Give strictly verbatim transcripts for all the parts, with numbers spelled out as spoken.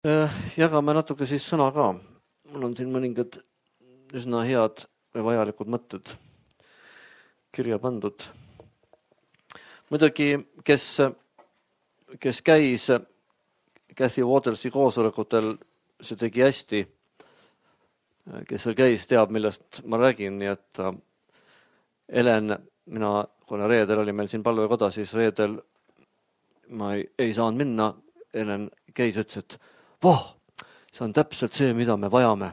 Jagame natuke siis sõna ka. Mul on siin mõningad üsna head või vajalikud mõtted kirja pandud. Muidugi, kes, kes käis Cathy Watersi koosolekutel, see tegi hästi. Kes seal käis, teab, millest ma räägin. Nii et Helen, mina, kuna reedel oli meil siin palvekoda, siis reedel ma ei, ei saanud minna. Helen käis, ütles, et voh, see on täpselt see, mida me vajame.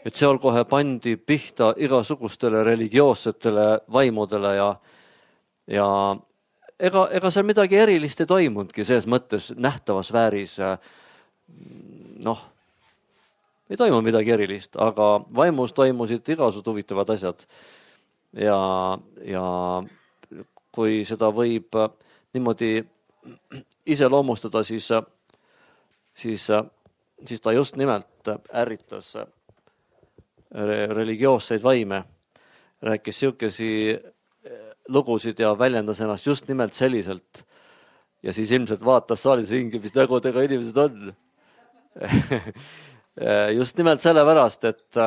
Et seal kohe pandi pihta igasugustele religioossetele vaimudele ja, ja ega, ega seal midagi erilist ei toimundki selles mõttes nähtavas vääris. Noh, ei toimu midagi erilist, aga vaimus toimusid igasugused huvitavad asjad. Ja, ja kui seda võib niimoodi ise loomustada, siis siis, siis ta just nimelt ärritas religioosseid vaime, rääkis siukesi lugusid ja väljendas ennast just nimelt selliselt. Ja siis ilmselt vaatas saalis ringi, mis nägudega inimesed on. Just nimelt sellepärast, et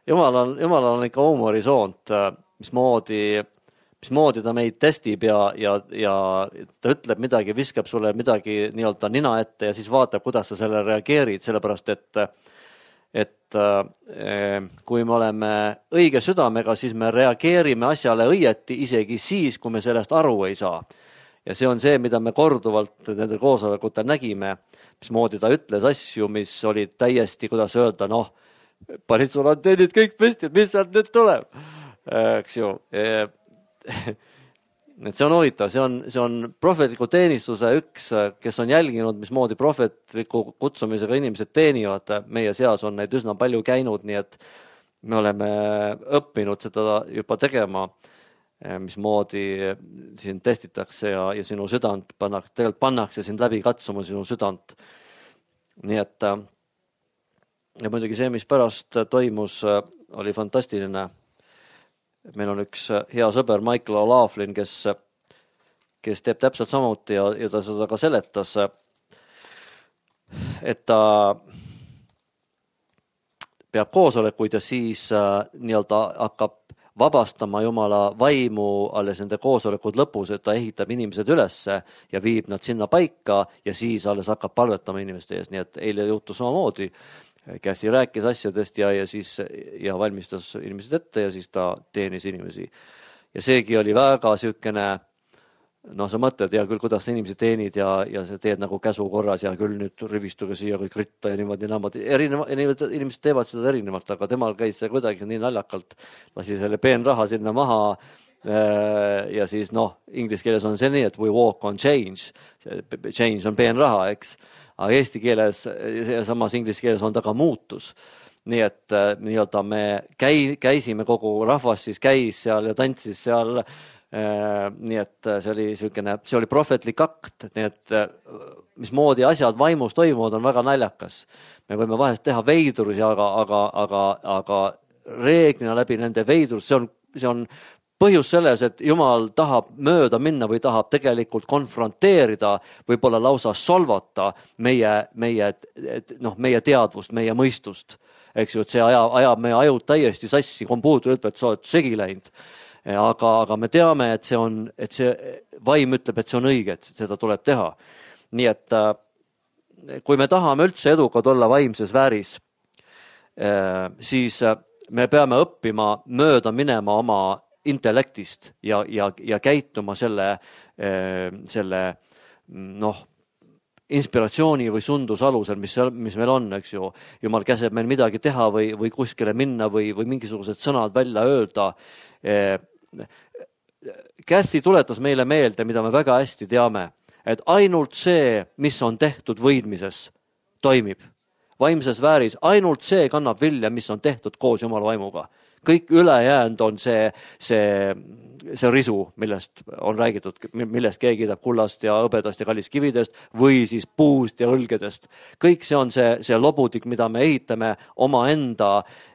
Jumal on, Jumal on ikka huumorisoont, mismoodi mismoodi ta meid testib ja, ja, ja ta ütleb midagi, viskab sulle midagi nii-öelda nina ette ja siis vaatab, kuidas sa selle reageerid, sellepärast et, et kui me oleme õige südamega, siis me reageerime asjale õieti isegi siis, kui me sellest aru ei saa. Ja see on see, mida me korduvalt nende koosolekutel nägime, mismoodi ta ütles asju, mis olid täiesti, kuidas öelda, noh, panid sul antennid kõik püsti, mis sealt nüüd tuleb, eks ju. Et see on huvitav, see on, see on prohvetliku teenistuse üks, kes on jälginud, mismoodi prohvetliku kutsumisega inimesed teenivad. Meie seas on neid üsna palju käinud, nii et me oleme õppinud seda juba tegema, mismoodi siin testitakse ja, ja sinu südant pannakse, tegelikult pannakse sind läbi katsuma sinu südant. Nii et ja muidugi see, mis pärast toimus, oli fantastiline. Meil on üks hea sõber Michael O'Laughlin, kes, kes teeb täpselt samuti ja, ja ta seda ka seletas, et ta peab koosolekuid ja siis nii-öelda hakkab vabastama Jumala vaimu alles nende koosolekud lõpus, et ta ehitab inimesed ülesse ja viib nad sinna paika ja siis alles hakkab palvetama inimeste ees. Nii et eile juhtus samamoodi. Cathy rääkis asjadest ja, ja siis ja valmistas inimesed ette ja siis ta teenis inimesi. Ja seegi oli väga sükene, noh, sa mõtled ja küll, kuidas sa inimesi teenid ja, ja sa teed nagu käsu korras ja küll nüüd rivistuge siia kõik ritta ja niimoodi naamad. Erineva, inimesed teevad seda erinevalt, aga temal käis see kuidagi nii naljakalt. Lasi selle peenraha sinna maha ja siis noh, inglise keeles on see nii, et we walk on change. Change on peenraha, eks. Aga eesti keeles ja samas inglise keeles on ta ka muutus. Nii et nii-öelda me käi, käisime, kogu rahvas siis käis seal ja tantsis seal. Nii et see oli selline, see oli prohvetlik akt. Nii et mismoodi asjad vaimus toimuvad on väga naljakas. Me võime vahest teha veidrusi, aga, aga, aga, aga reeglina läbi nende veidrus, see on, see on põhjus selles, et Jumal tahab mööda minna või tahab tegelikult konfronteerida, võib-olla lausa solvata meie, meie, noh, meie teadvust, meie mõistust. Eks ju, et see ajab, ajab meie ajud täiesti sassi, kompuuter ütleb, et sa oled segi läinud. Aga, aga me teame, et see on, et see vaim ütleb, et see on õige, et seda tuleb teha. Nii et kui me tahame üldse edukad olla vaimses vääris, siis me peame õppima mööda minema oma intellektist ja, ja, ja käituma selle, selle noh, inspiratsiooni või sundus alusel, mis, mis meil on, eks ju. Jumal käseb meil midagi teha või, või kuskile minna või, või mingisugused sõnad välja öelda. Cathy tuletas meile meelde, mida me väga hästi teame, et ainult see, mis on tehtud võidmises, toimib. Vaimses vääris ainult see kannab vilja, mis on tehtud koos Jumala vaimuga. Kõik ülejäänud on see, see, see risu, millest on räägitud, millest keegi kiidab kullast ja hõbedast ja kallist kividest või siis puust ja õlgedest. Kõik see on see, see lobudik, mida me ehitame oma enda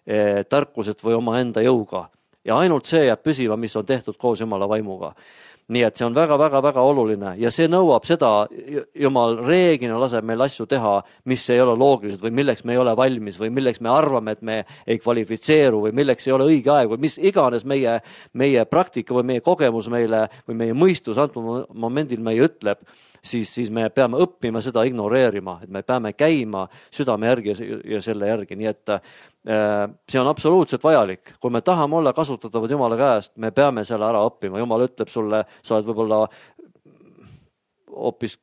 eh, tarkuselt või oma enda jõuga. Ja ainult see jääb püsima, mis on tehtud koos Jumala vaimuga. nii et see on väga-väga-väga oluline ja see nõuab seda, Jumal reeglina laseb meil asju teha, mis ei ole loogilised või milleks me ei ole valmis või milleks me arvame, et me ei kvalifitseeru või milleks ei ole õige aeg või mis iganes meie, meie praktika või meie kogemus meile või meie mõistus antud momendil meie ütleb, siis, siis me peame õppima seda ignoreerima, et me peame käima südame järgi ja selle järgi, nii et see on absoluutselt vajalik. Kui me tahame olla kasutatavad Jumala käest, me peame selle ära õppima. Jumal ütleb sulle, sa oled võib-olla hoopis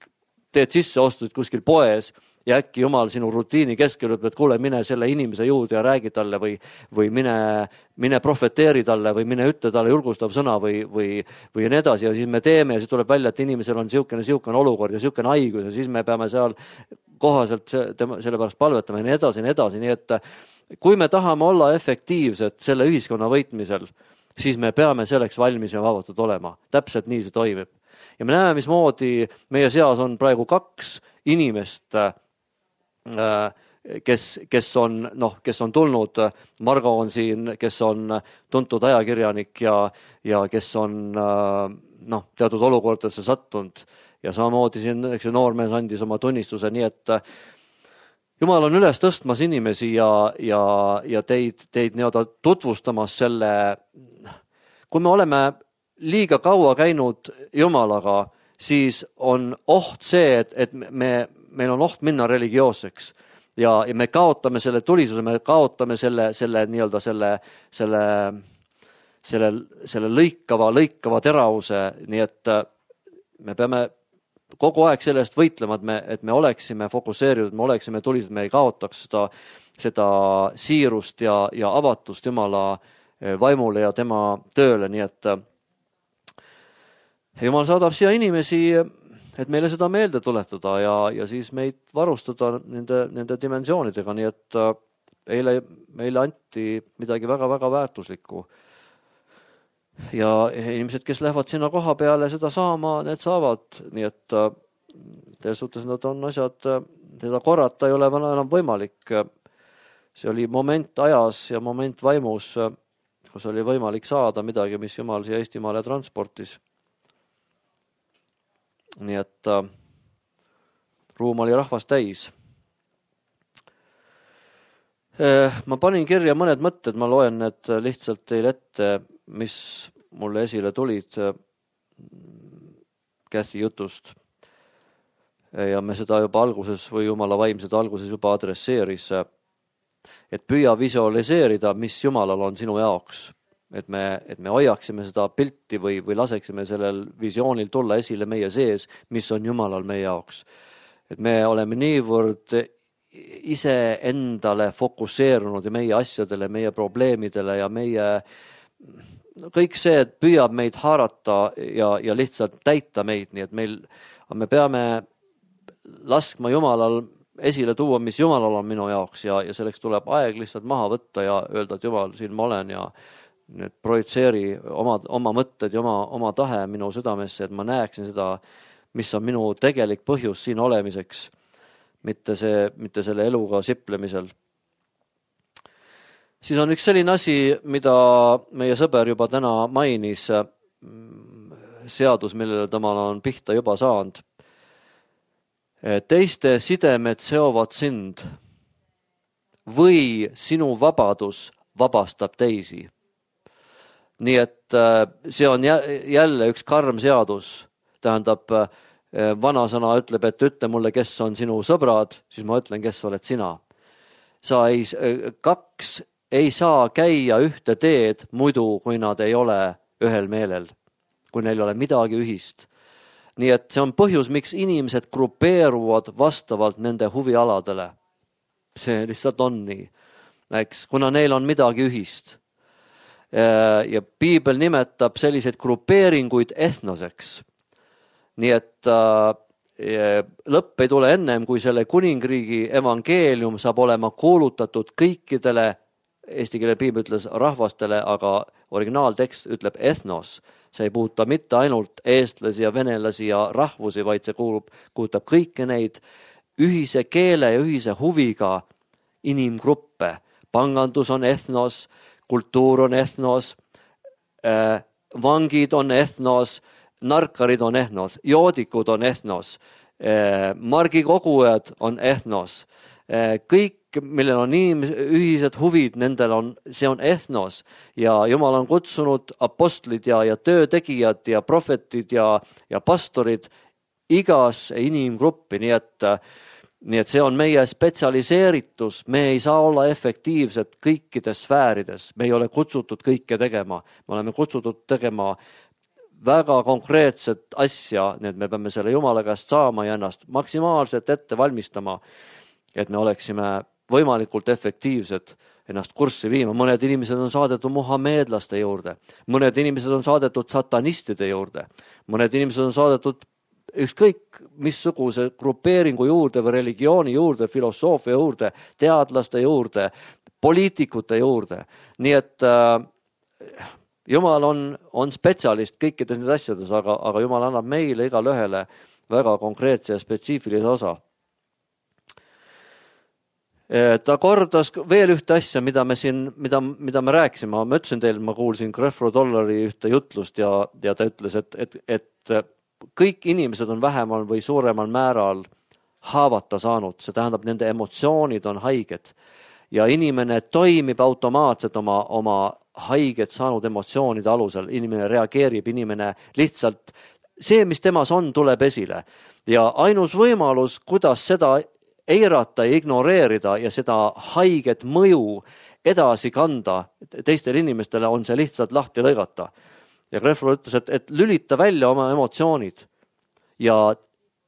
teed sisseostud kuskil poes ja äkki Jumal sinu rutiini keskel ütleb, et kuule, mine selle inimese juurde ja räägi talle või, või mine, mine profeteeri talle või mine ütle talle julgustav sõna või, või, või nii edasi ja siis me teeme ja siis tuleb välja, et inimesel on siukene, siukene olukord ja siukene haigus ja siis me peame seal kohaselt selle pärast palvetama ja nii edasi ja nii edasi, nii et kui me tahame olla efektiivsed selle ühiskonna võitmisel, siis me peame selleks valmis ja vabatud olema. Täpselt nii see toimib. Ja me näeme, mismoodi meie seas on praegu kaks inimest, kes, kes, on, noh, kes on tulnud. Margo on siin, kes on tuntud ajakirjanik ja, ja kes on noh, teatud olukordadesse sattunud. Ja samamoodi siin eks, noormees andis oma tunnistuse, nii et Jumal on üles tõstmas inimesi ja, ja, ja teid, teid nii-öelda tutvustamas selle, kui me oleme liiga kaua käinud Jumalaga, siis on oht see, et, et me, meil on oht minna religioosseks ja, ja me kaotame selle tulisuse, me kaotame selle, selle nii-öelda selle, selle, selle, selle lõikava, lõikava teravuse, nii et me peame kogu aeg sellest võitlema, et me, et me oleksime fokusseeritud, me oleksime tulised, me ei kaotaks seda, seda siirust ja, ja avatust Jumala vaimule ja tema tööle, nii et Jumal saadab siia inimesi, et meile seda meelde tuletada ja, ja siis meid varustada nende, nende dimensioonidega, nii et eile meile anti midagi väga-väga väärtuslikku. Ja inimesed, kes lähevad sinna koha peale seda saama, need saavad, nii et teie suhtes nad on asjad, seda korrata ei ole enam võimalik. See oli moment ajas ja moment vaimus, kus oli võimalik saada midagi, mis Jumal siia Eestimaale transportis. Nii et ruum oli rahvast täis. Ma panin kirja mõned mõtted, ma loen need lihtsalt teile ette, mis mulle esile tulid Käsi jutust. Ja me seda juba alguses või Jumala vaim seda alguses juba adresseeris, et püüa visualiseerida, mis Jumalal on sinu jaoks. Et me, et me hoiaksime seda pilti või, või laseksime sellel visioonil tulla esile meie sees, mis on Jumalal meie jaoks. Et me oleme niivõrd ise endale fokusseerunud ja meie asjadele, meie probleemidele ja meie kõik see, et püüab meid haarata ja, ja lihtsalt täita meid, nii et meil, me peame laskma Jumalal esile tuua, mis Jumalal on minu jaoks ja, ja selleks tuleb aeg lihtsalt maha võtta ja öelda, et Jumal, siin ma olen ja nüüd projitseeri oma, oma mõtted ja oma, oma tahe minu südamesse, et ma näeksin seda, mis on minu tegelik põhjus siin olemiseks. Mitte, see, mitte selle eluga siplemisel. Siis on üks selline asi, mida meie sõber juba täna mainis, seadus, millele temal on pihta juba saanud. Teiste sidemed seovad sind või sinu vabadus vabastab teisi. Nii et see on jälle üks karm seadus, tähendab, vanasõna ütleb, et ütle mulle, kes on sinu sõbrad, siis ma ütlen, kes oled sina. Sa ei, kaks ei saa käia ühte teed muidu, kui nad ei ole ühel meelel, kui neil ei ole midagi ühist. Nii et see on põhjus, miks inimesed grupeeruvad vastavalt nende huvialadele. See lihtsalt on nii, eks, kuna neil on midagi ühist. Ja Piibel nimetab selliseid grupeeringuid etnoseks. Nii et äh, lõpp ei tule ennem, kui selle kuningriigi evangeelium saab olema kuulutatud kõikidele, eesti keele piibel ütles rahvastele, aga originaaltekst ütleb ethnos. See ei puuta mitte ainult eestlasi ja venelasi ja rahvusi, vaid see kuulub, kuulutab kõiki neid ühise keele ja ühise huviga inimgruppe. Pangandus on ethnos, kultuur on ethnos, äh, vangid on ethnos, narkarid on ehnos, joodikud on ehnos, margikogujad on ehnos, kõik, millel on inimes, ühised huvid, nendel on, see on ehnos ja Jumal on kutsunud apostlid ja, ja töötegijad ja prohvetid ja, ja pastorid igas inimgruppi, nii et, nii et see on meie spetsialiseeritus, me ei saa olla efektiivsed kõikides sfäärides, me ei ole kutsutud kõike tegema, me oleme kutsutud tegema väga konkreetset asja, nii et me peame selle Jumala käest saama ja ennast maksimaalselt ette valmistama, et me oleksime võimalikult efektiivsed ennast kurssi viima. Mõned inimesed on saadetud muhameedlaste juurde, mõned inimesed on saadetud satanistide juurde, mõned inimesed on saadetud ükskõik missuguse grupeeringu juurde või religiooni juurde, filosoofia juurde, teadlaste juurde, poliitikute juurde. Nii et äh, Jumal on, on spetsialist kõikides need asjades, aga, aga Jumal annab meile igale ühele väga konkreetse ja spetsiifilise osa. Ta kordas veel ühte asja, mida me siin, mida, mida me rääkisime. Ma ütlesin teile, ma kuulsin Creflo Dollari ühte jutlust ja, ja ta ütles, et, et, et kõik inimesed on vähemal või suuremal määral haavata saanud. See tähendab, nende emotsioonid on haiged ja inimene toimib automaatselt oma, oma haiget saanud emotsioonide alusel. Inimene reageerib, inimene lihtsalt, see, mis temas on, tuleb esile. Ja ainus võimalus, kuidas seda eirata ja ignoreerida ja seda haiget mõju edasi kanda teistele inimestele, on see lihtsalt lahti lõigata. Ja Creflo ütles, et, et lülita välja oma emotsioonid ja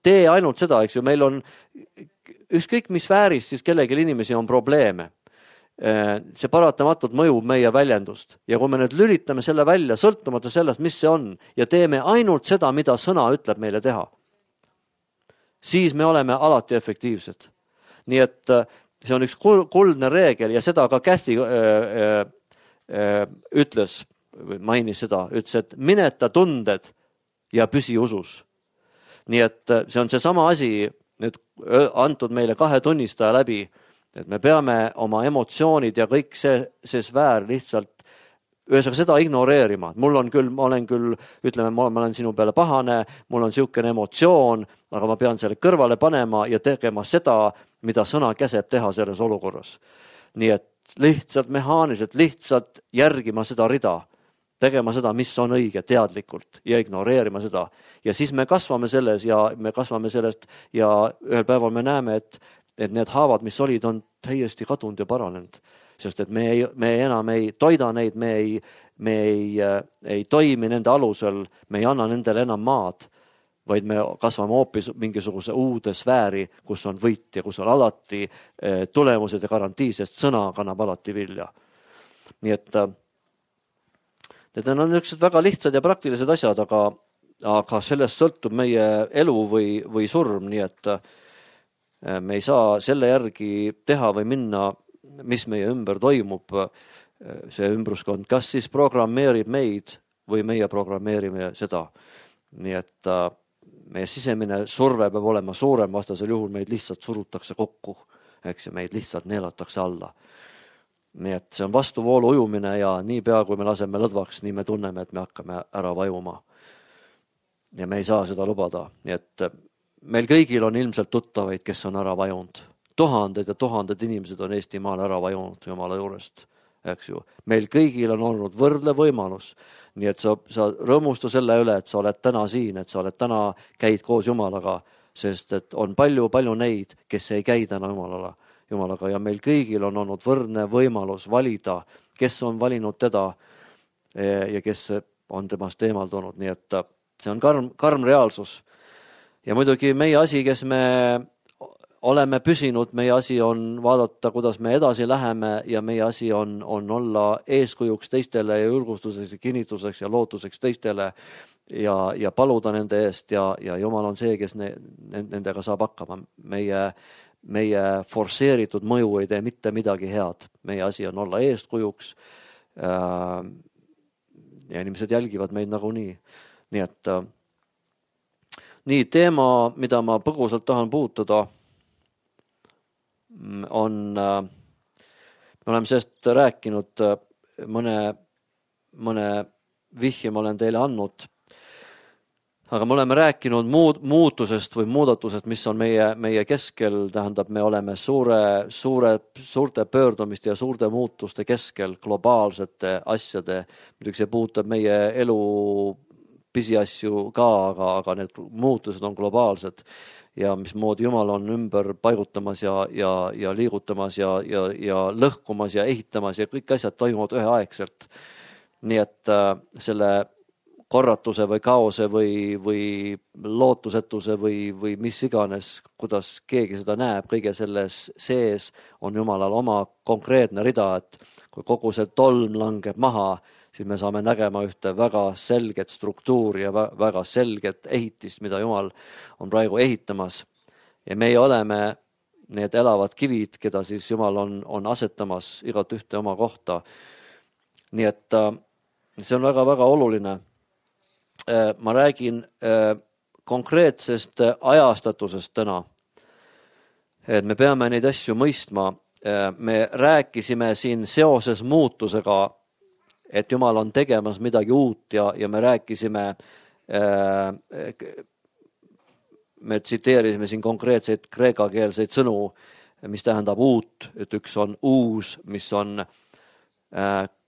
tee ainult seda, eks ju, meil on ükskõik mis sfääris, siis kellelgi inimesi on probleeme. See paratamatult mõjub meie väljendust ja kui me nüüd lülitame selle välja, sõltumata sellest, mis see on ja teeme ainult seda, mida sõna ütleb meile teha, siis me oleme alati efektiivsed. Nii et see on üks kuldne reegel ja seda ka Kathy öö, öö, ütles, mainis seda, ütles, et mineta tunded ja püsi usus. Nii et see on see sama asi nüüd antud meile kahe tunnistaja läbi, et me peame oma emotsioonid ja kõik see, see sfäär lihtsalt ühesõnaga seda ignoreerima. Mul on küll, ma olen küll, ütleme, ma olen sinu peale pahane, mul on siukene emotsioon, aga ma pean selle kõrvale panema ja tegema seda, mida sõna käseb teha selles olukorras. Nii et lihtsalt mehaaniliselt, lihtsalt järgima seda rida, tegema seda, mis on õige teadlikult ja ignoreerima seda. Ja siis me kasvame selles ja me kasvame sellest ja ühel päeval me näeme, et et need haavad, mis olid, on täiesti kadunud ja paranenud. Sest et me, ei, me enam ei toida neid, me, ei, me ei, ei toimi nende alusel, me ei anna nendele enam maad, vaid me kasvame hoopis mingisuguse uude sfääri, kus on võit ja kus on alati tulemused ja garantii, sest sõna kannab alati vilja. Nii et need on niisugused väga lihtsad ja praktilised asjad, aga, aga sellest sõltub meie elu või, või surm, nii et me ei saa selle järgi teha või minna, mis meie ümber toimub, see ümbruskond, kas siis programmeerib meid või meie programmeerime seda. Nii et meie sisemine surve peab olema suurem, vastasel juhul meid lihtsalt surutakse kokku, eks ja meid lihtsalt neelatakse alla. Nii et see on vastuvoolu ujumine ja nii pea, kui me laseme lõdvaks, nii me tunneme, et me hakkame ära vajuma. Ja me ei saa seda lubada, nii et meil kõigil on ilmselt tuttavaid, kes on ära vajunud. Tuhanded ja tuhanded inimesed on Eestimaal ära vajunud Jumala juurest, eks ju. Meil kõigil on olnud võrdle võimalus. Nii et sa, sa rõõmusta selle üle, et sa oled täna siin, et sa oled täna käid koos Jumalaga, sest et on palju, palju neid, kes ei käi täna Jumalaga, Jumalaga ja meil kõigil on olnud võrdne võimalus valida, kes on valinud teda ja kes on temast eemaldunud. Nii et see on karm, karm reaalsus. Ja muidugi meie asi, kes me oleme püsinud, meie asi on vaadata, kuidas me edasi läheme ja meie asi on, on olla eeskujuks teistele ja julgustuseks ja kinnituseks ja lootuseks teistele ja, ja paluda nende eest ja, ja Jumal on see, kes ne, nendega saab hakkama. Meie, meie forseeritud mõju ei tee mitte midagi head. Meie asi on olla eeskujuks ja inimesed jälgivad meid nagunii. Nii et Nii, teema, mida ma põgusalt tahan puutuda, on, me oleme sellest rääkinud, mõne, mõne vihje ma olen teile andnud. aga me oleme rääkinud muud, muutusest või muudatusest, mis on meie, meie keskel, tähendab, me oleme suure, suure, suurte pöördumiste ja suurte muutuste keskel, globaalsete asjade, muidugi see puudutab meie elu pisiasju ka, aga, aga need muutused on globaalsed ja mismoodi Jumal on ümber paigutamas ja, ja, ja liigutamas ja, ja, ja lõhkumas ja ehitamas ja kõik asjad toimuvad üheaegselt. Nii et äh, selle korratuse või kaose või, või lootusetuse või, või mis iganes, kuidas keegi seda näeb, kõige selles sees on Jumalal oma konkreetne rida, et kui kogu see tolm langeb maha, siis me saame nägema ühte väga selget struktuuri ja väga selget ehitist, mida Jumal on praegu ehitamas. Ja meie oleme need elavad kivid, keda siis Jumal on, on asetamas igat ühte oma kohta. Nii et see on väga-väga oluline. Ma räägin konkreetsest ajastatusest täna, et me peame neid asju mõistma. Me rääkisime siin seoses muutusega, et Jumal on tegemas midagi uut ja, ja me rääkisime, me tsiteerisime siin konkreetseid kreekakeelseid sõnu, mis tähendab uut, et üks on uus, mis on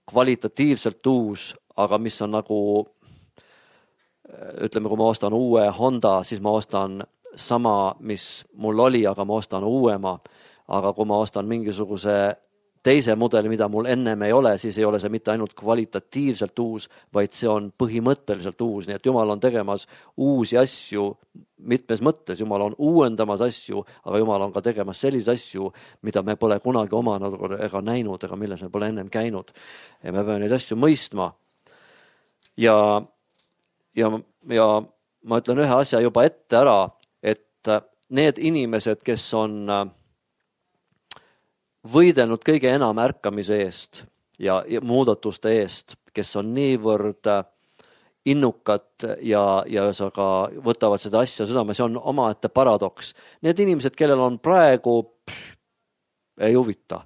kvalitatiivselt uus, aga mis on nagu ütleme, kui ma ostan uue Honda, siis ma ostan sama, mis mul oli, aga ma ostan uuema. Aga kui ma ostan mingisuguse teise mudeli, mida mul ennem ei ole, siis ei ole see mitte ainult kvalitatiivselt uus, vaid see on põhimõtteliselt uus. Nii et Jumal on tegemas uusi asju mitmes mõttes. Jumal on uuendamas asju, aga Jumal on ka tegemas selliseid asju, mida me pole kunagi omanud ega näinud, ega milles me pole ennem käinud. Ja me peame neid asju mõistma. Ja Ja, ja ma ütlen ühe asja juba ette ära, et need inimesed, kes on võidelnud kõige enam ärkamise eest ja, ja muudatuste eest, kes on niivõrd innukad ja, ja ühesõnaga võtavad seda asja südame, see on omaette paradoks. Need inimesed, kellel on praegu, pff, ei huvita.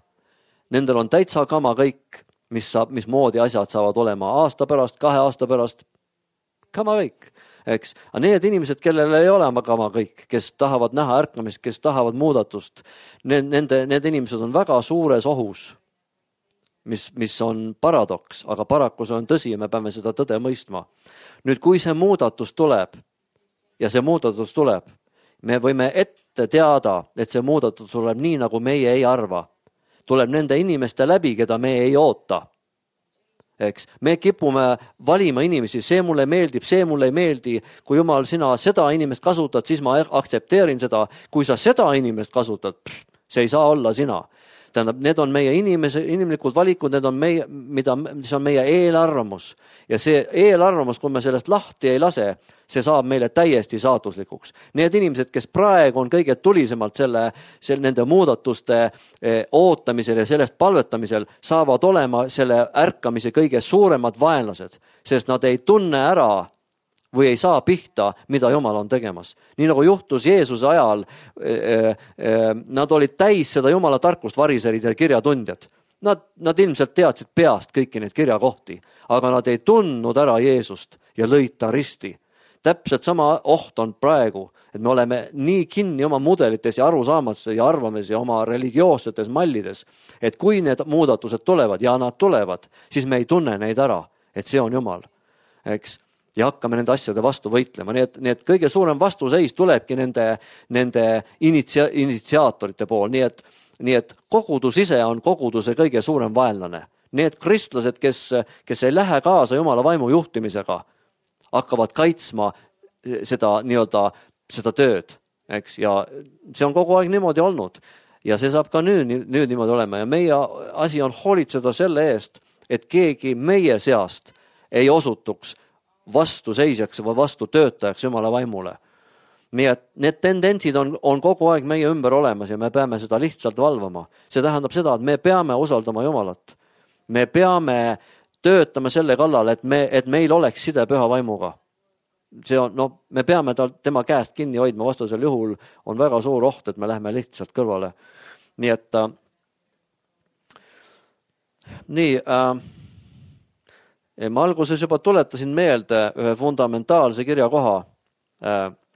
Nendel on täitsa kama kõik, mis, saab, mis moodi asjad saavad olema aasta pärast, kahe aasta pärast, kama kõik, eks. Aga need inimesed, kellel ei ole kama kõik, kes tahavad näha ärkamist, kes tahavad muudatust, need, nende, need inimesed on väga suures ohus, mis, mis on paradoks, aga paraku see on tõsi ja me peame seda tõde mõistma. Nüüd, kui see muudatus tuleb ja see muudatus tuleb, me võime ette teada, et see muudatus tuleb nii, nagu meie ei arva. Tuleb nende inimeste läbi, keda me ei oota. Eks. Me kipume valima inimesi, see mulle meeldib, see mulle ei meeldi. Kui Jumal, sina seda inimest kasutad, siis ma aktsepteerin seda. Kui sa seda inimest kasutad, pff, see ei saa olla sina. Tähendab, need on meie inimese, inimlikud valikud, need on meie, mida, mis on meie eelarvamus. Ja see eelarvamus, kui me sellest lahti ei lase, see saab meile täiesti saatuslikuks. Need inimesed, kes praegu on kõige tulisemalt selle, selle, nende muudatuste eh, ootamisel ja sellest palvetamisel, saavad olema selle ärkamise kõige suuremad vaenlased, sest nad ei tunne ära või ei saa pihta, mida Jumal on tegemas. Nii nagu juhtus Jeesuse ajal, eh, eh, nad olid täis seda Jumala tarkust, variserid ja kirjatundjad. Nad, nad ilmselt teadsid peast kõiki neid kirjakohti, aga nad ei tundnud ära Jeesust ja lõid ta risti. Täpselt sama oht on praegu, et me oleme nii kinni oma mudelites ja arusaamates ja arvames ja oma religioossetes mallides, et kui need muudatused tulevad ja nad tulevad, siis me ei tunne neid ära, et see on Jumal. Eks? Ja hakkame nende asjade vastu võitlema. Nii et, nii et kõige suurem vastuseis tulebki nende, nende initsia, initsiaatorite pool. Nii et, nii et kogudus ise on koguduse kõige suurem vaenlane. Need kristlased, kes, kes ei lähe kaasa Jumala vaimu juhtimisega, hakkavad kaitsma seda, nii-öelda, seda tööd. Eks? Ja see on kogu aeg niimoodi olnud. Ja see saab ka nüüd, nüüd niimoodi olema. Ja meie asi on hoolitseda selle eest, et keegi meie seast ei osutuks vastu seisjaks või vastu töötajaks Jumala vaimule. Nii et need tendentsid on, on kogu aeg meie ümber olemas ja me peame seda lihtsalt valvama. See tähendab seda, et me peame usaldama Jumalat. Me peame töötama selle kallal, et, me, et meil oleks side püha vaimuga. See on, no, me peame tal, tema käest kinni hoidma, vastasel juhul on väga suur oht, et me läheme lihtsalt kõrvale. Nii et äh, nii äh, ma alguses juba tuletasin meelde ühe fundamentaalse kirjakoha,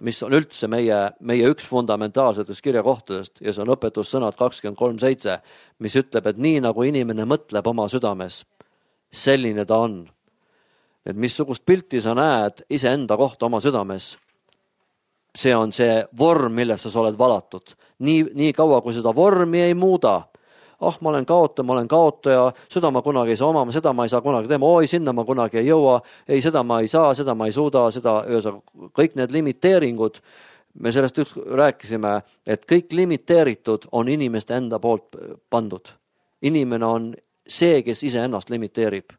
mis on üldse meie, meie üks fundamentaalsetest kirjakohtadest ja see on õpetussõnad kakskümmend kolm seitse, mis ütleb, et nii nagu inimene mõtleb oma südames, selline ta on. Et missugust pilti sa näed iseenda kohta oma südames, see on see vorm, millesse sa oled valatud. Nii, nii kaua, kui seda vormi ei muuda, ah, ma olen kaotaja, ma olen kaotaja, seda ma kunagi ei saa omama, seda ma ei saa kunagi teema, oi, sinna ma kunagi ei jõua, ei, seda ma ei saa, seda ma ei suuda, seda, kõik need limiteeringud, me sellest üks rääkisime, et kõik limiteeritud on inimeste enda poolt pandud. Inimene on see, kes ise ennast limiteerib,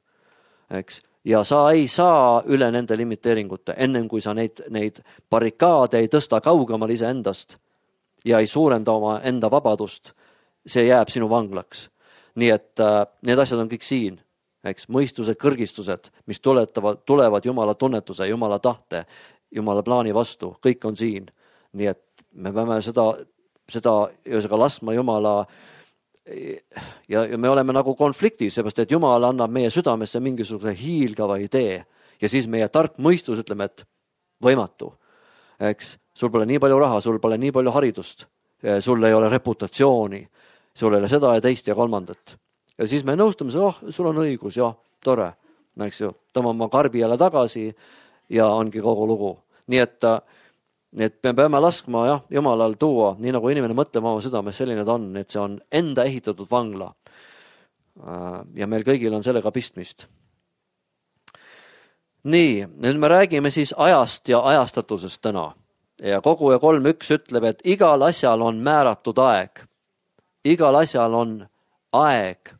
eks. Ja sa ei saa üle nende limiteeringute, ennem kui sa neid, neid barrikaade ei tõsta kaugemal ise endast ja ei suurenda oma enda vabadust, see jääb sinu vanglaks. Nii et äh, need asjad on kõik siin, eks, mõistuse kõrgistused, mis tuletavad, tulevad Jumala tunnetuse, Jumala tahte, Jumala plaani vastu, kõik on siin. Nii et me peame seda, seda ühesõnaga laskma Jumala ja, ja me oleme nagu konfliktis, seepärast et Jumal annab meie südamesse mingisuguse hiilgava idee ja siis meie tark mõistus ütleme, et võimatu. Eks, sul pole nii palju raha, sul pole nii palju haridust, sul ei ole reputatsiooni, sul ei ole seda ja teist ja kolmandat. Ja siis me nõustume, oh, sul on õigus, jah, tore, eks ju, tõmbame oma karbi jälle tagasi ja ongi kogu lugu. Nii et Nii et me peame laskma jah, Jumalal tuua, nii nagu inimene mõtleb oma südames, selline ta on, et see on enda ehitatud vangla. Ja meil kõigil on sellega pistmist. Nii, nüüd me räägime siis ajast ja ajastatusest täna. Ja kogu ja kolm üks ütleb, et igal asjal on määratud aeg. Igal asjal on aeg,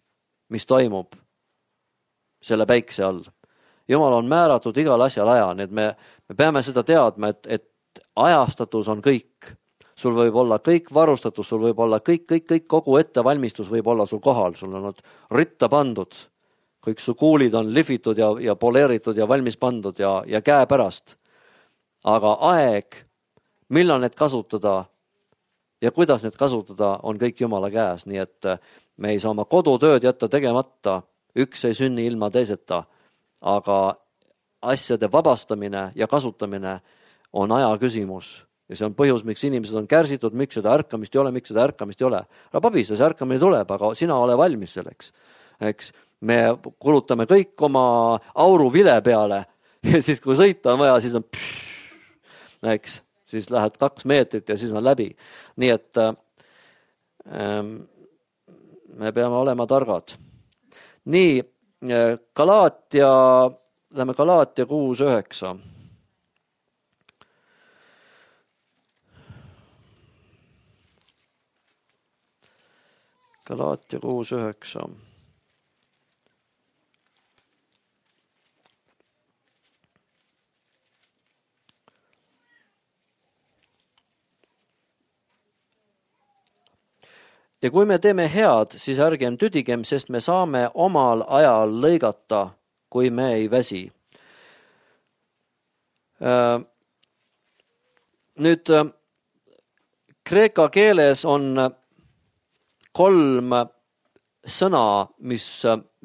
mis toimub selle päikse all. Jumal on määratud igal asjal aja, nii et me, me peame seda teadma, et, et ajastatus on kõik. Sul võib olla kõik varustatus, sul võib olla kõik, kõik, kõik, kogu ettevalmistus võib olla sul kohal. Sul on ritta pandud, kõik su kuulid on lihvitud ja, ja poleeritud ja valmis pandud ja, ja käe pärast. Aga aeg, millal need kasutada ja kuidas need kasutada, on kõik Jumala käes. Nii et me ei saa oma kodutööd jätta tegemata, üks ei sünni ilma teiseta, aga asjade vabastamine ja kasutamine on aja küsimus ja see on põhjus, miks inimesed on kärsitud, miks seda ärkamist ei ole, miks seda ärkamist ei ole. Aga pabista, see ärkamine tuleb, aga sina ole valmis selleks. Eks, me kulutame kõik oma auru vile peale ja siis kui sõita on vaja, siis on pff, eks, siis lähed kaks meetrit ja siis on läbi. Nii et ähm, me peame olema targad. Nii, Galaatia, lähme Galaatia kuus üheksa. Galaatia kuus üheksa. Ja kui me teeme head, siis ärgem tüdigem, sest me saame omal ajal lõigata, kui me ei väsi. Nüüd, kreeka keeles on kolm sõna, mis,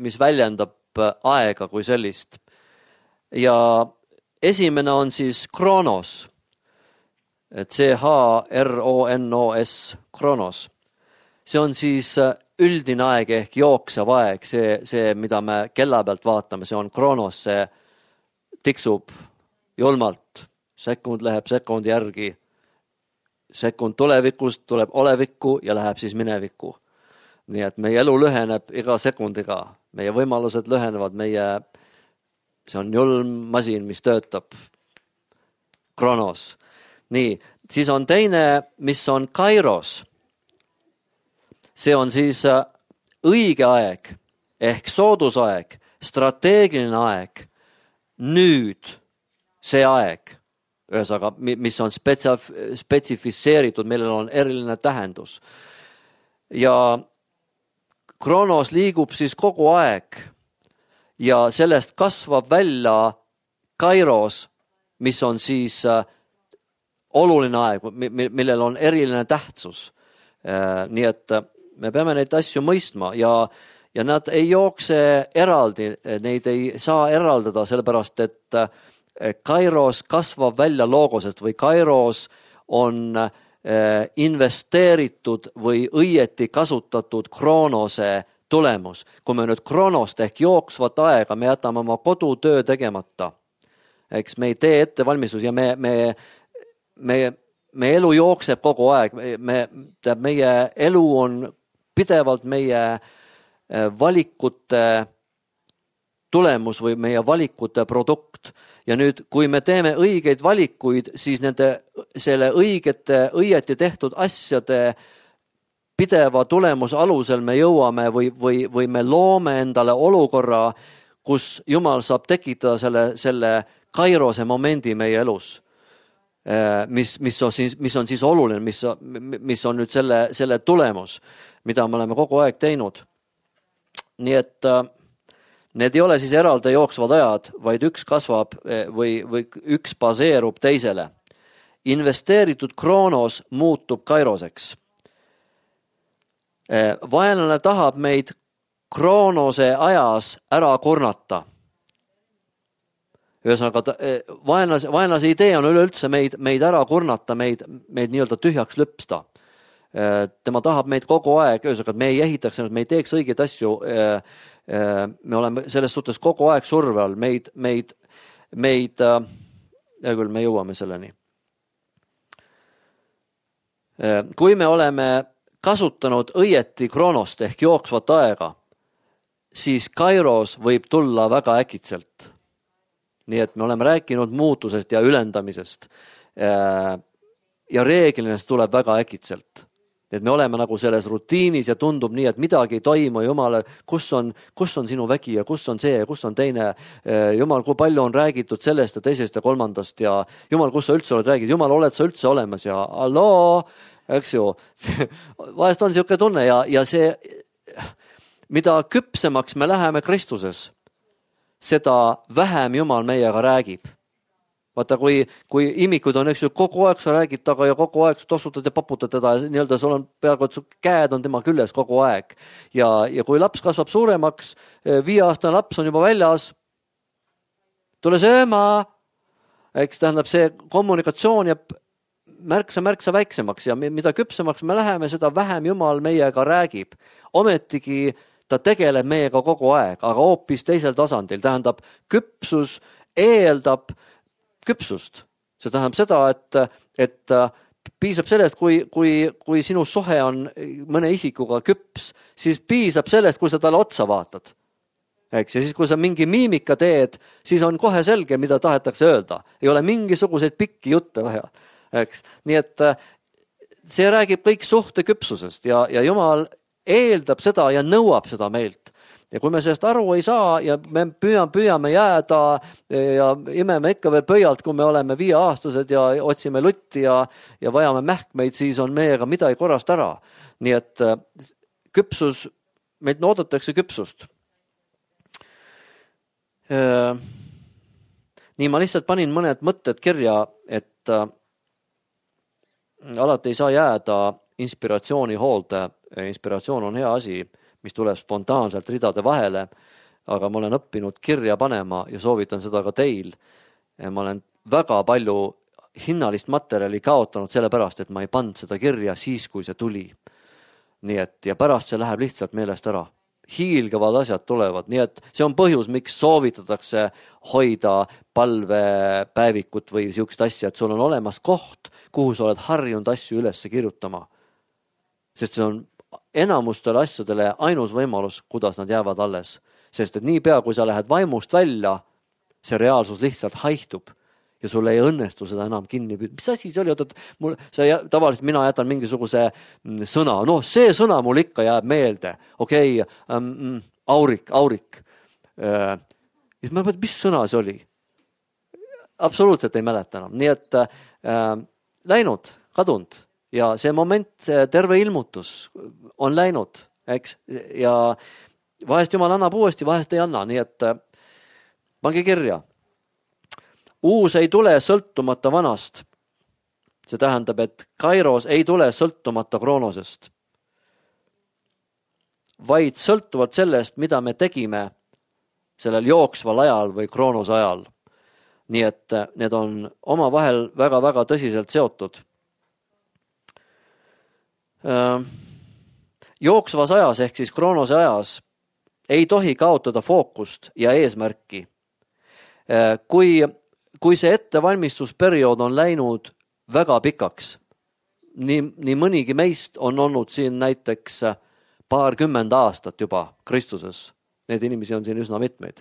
mis väljendab aega kui sellist. Ja esimene on siis kronos. C H R O N O S, kronos. See on siis üldine aeg ehk jooksev aeg, see, see, mida me kella pealt vaatame, see on kronos, see tiksub julmalt. Sekund läheb sekundi järgi. Sekund tulevikust tuleb olevikku ja läheb siis minevikku. Nii et meie elu lüheneb iga sekundiga. Meie võimalused lühenevad, meie, see on julm masin, mis töötab. Kronos. Nii, siis on teine, mis on kairos. See on siis õige aeg ehk soodusaeg, strateegiline aeg. Nüüd see aeg. Ühesõnaga, mis on spetsif- spetsifitseeritud, millel on eriline tähendus. Ja kronos liigub siis kogu aeg ja sellest kasvab välja kairos, mis on siis oluline aeg, millel on eriline tähtsus. Nii et me peame neid asju mõistma ja, ja nad ei jookse eraldi, neid ei saa eraldada, sellepärast et Kairos kasvab välja loogosest või Kairos on investeeritud või õieti kasutatud kroonose tulemus. Kui me nüüd kroonost ehk jooksvat aega, me jätame oma kodutöö tegemata. Eks me ei tee ettevalmistus ja me, me, me, me elu jookseb kogu aeg. Me, meie elu on pidevalt meie valikute tulemus või meie valikute produkt. Ja nüüd, kui me teeme õigeid valikuid, siis nende, selle õigete, õieti tehtud asjade pideva tulemuse alusel me jõuame või, või, või me loome endale olukorra, kus Jumal saab tekitada selle, selle kairose momendi meie elus, mis, mis, on, siis, mis on siis oluline, mis, mis on nüüd selle, selle tulemus, mida me oleme kogu aeg teinud. Nii et need ei ole siis eraldi jooksvad ajad, vaid üks kasvab või, või üks baseerub teisele. Investeeritud kroonos muutub kairoseks. Vaenlane tahab meid kroonose ajas ära kurnata. Ühesõnaga, vaenlase, vaenlase idee on üleüldse meid, meid ära kurnata, meid, meid nii-öelda tühjaks lüpsta. Tema tahab meid kogu aeg, ühesõnaga, me ei ehitaks, me ei teeks õigeid asju. Me oleme selles suhtes kogu aeg surve all, meid, meid, meid, ja küll me jõuame selleni. Kui me oleme kasutanud õieti kroonost ehk jooksvat aega, siis kairos võib tulla väga äkitselt. Nii et me oleme rääkinud muutusest ja ülendamisest ja reeglina see tuleb väga äkitselt. Et me oleme nagu selles rutiinis ja tundub nii, et midagi ei toimu, Jumale, kus on, kus on sinu vägi ja kus on see ja kus on teine. Jumal, kui palju on räägitud sellest ja teisest ja kolmandast ja Jumal, kus sa üldse oled räägid, Jumal, oled sa üldse olemas ja alloo, eks ju. Vahest on niisugune tunne ja, ja see, mida küpsemaks me läheme Kristuses, seda vähem Jumal meiega räägib. Vaata, kui, kui imikud on, eks ju, kogu aeg sa räägid taga ja kogu aeg tossutad ja paputad teda ja nii-öelda sul on peaaegu, et su käed on tema küljes kogu aeg. Ja, ja kui laps kasvab suuremaks, viieaastane laps on juba väljas, tule sööma, eks tähendab see kommunikatsioon jääb märksa, märksa väiksemaks ja mida küpsemaks me läheme, seda vähem Jumal meiega räägib. Ometigi ta tegeleb meiega kogu aeg, aga hoopis teisel tasandil. Tähendab, küpsus eeldab küpsust. See tähendab seda, et, et piisab sellest, kui, kui, kui sinu sohe on mõne isikuga küps, siis piisab sellest, kui sa talle otsa vaatad. Eks? Ja siis, kui sa mingi miimika teed, siis on kohe selge, mida tahetakse öelda. Ei ole mingisuguseid pikki jutte vaja. Eks? Nii et see räägib kõik suhte küpsusest ja, ja Jumal eeldab seda ja nõuab seda meilt. Ja kui me sellest aru ei saa ja me püüame, püüame jääda ja imeme ikka veel pöialt, kui me oleme viieaastased ja otsime lutti ja, ja vajame mähkmeid, siis on meiega midagi korrast ära. Nii et küpsus, meilt oodatakse küpsust. Nii ma lihtsalt panin mõned mõtted kirja, et alati ei saa jääda inspiratsiooni hoolde. Inspiratsioon on hea asi, mis tuleb spontaanselt ridade vahele, aga ma olen õppinud kirja panema ja soovitan seda ka teil. Ma olen väga palju hinnalist materjali kaotanud sellepärast, et ma ei pannud seda kirja siis, kui see tuli. Nii et, ja pärast see läheb lihtsalt meelest ära. Hiilgavad asjad tulevad, nii et see on põhjus, miks soovitatakse hoida palvepäevikut või siukest asja, et sul on olemas koht, kuhu sa oled harjunud asju üles kirjutama. Sest see on enamustele asjadele ainus võimalus, kuidas nad jäävad alles. Sest et nii pea, kui sa lähed vaimust välja, see reaalsus lihtsalt haihtub ja sulle ei õnnestu seda enam kinni. Mis asi see oli? Mul, see, tavaliselt mina jätan mingisuguse sõna. No see sõna mul ikka jääb meelde. Okei, okay, ähm, aurik, aurik. Äh, ja ma mõtlen, mis sõna see oli? Absoluutselt ei mäleta enam. Nii et äh, läinud, kadunud. Ja see moment, see terve ilmutus on läinud, eks? Ja vahest Jumal annab uuesti, vahest ei anna, nii et pange kirja. Uus ei tule sõltumata vanast. See tähendab, et kairos ei tule sõltumata kroonosest, vaid sõltuvalt sellest, mida me tegime sellel jooksval ajal või kroonos ajal. nii et need on omavahel väga-väga tõsiselt seotud. Jooksvas ajas ehk siis kroonose ajas ei tohi kaotada fookust ja eesmärki. Kui, kui see ettevalmistusperiood on läinud väga pikaks, nii, nii mõnigi meist on olnud siin näiteks paarkümmend aastat juba Kristuses. Need inimesi on siin üsna mitmeid,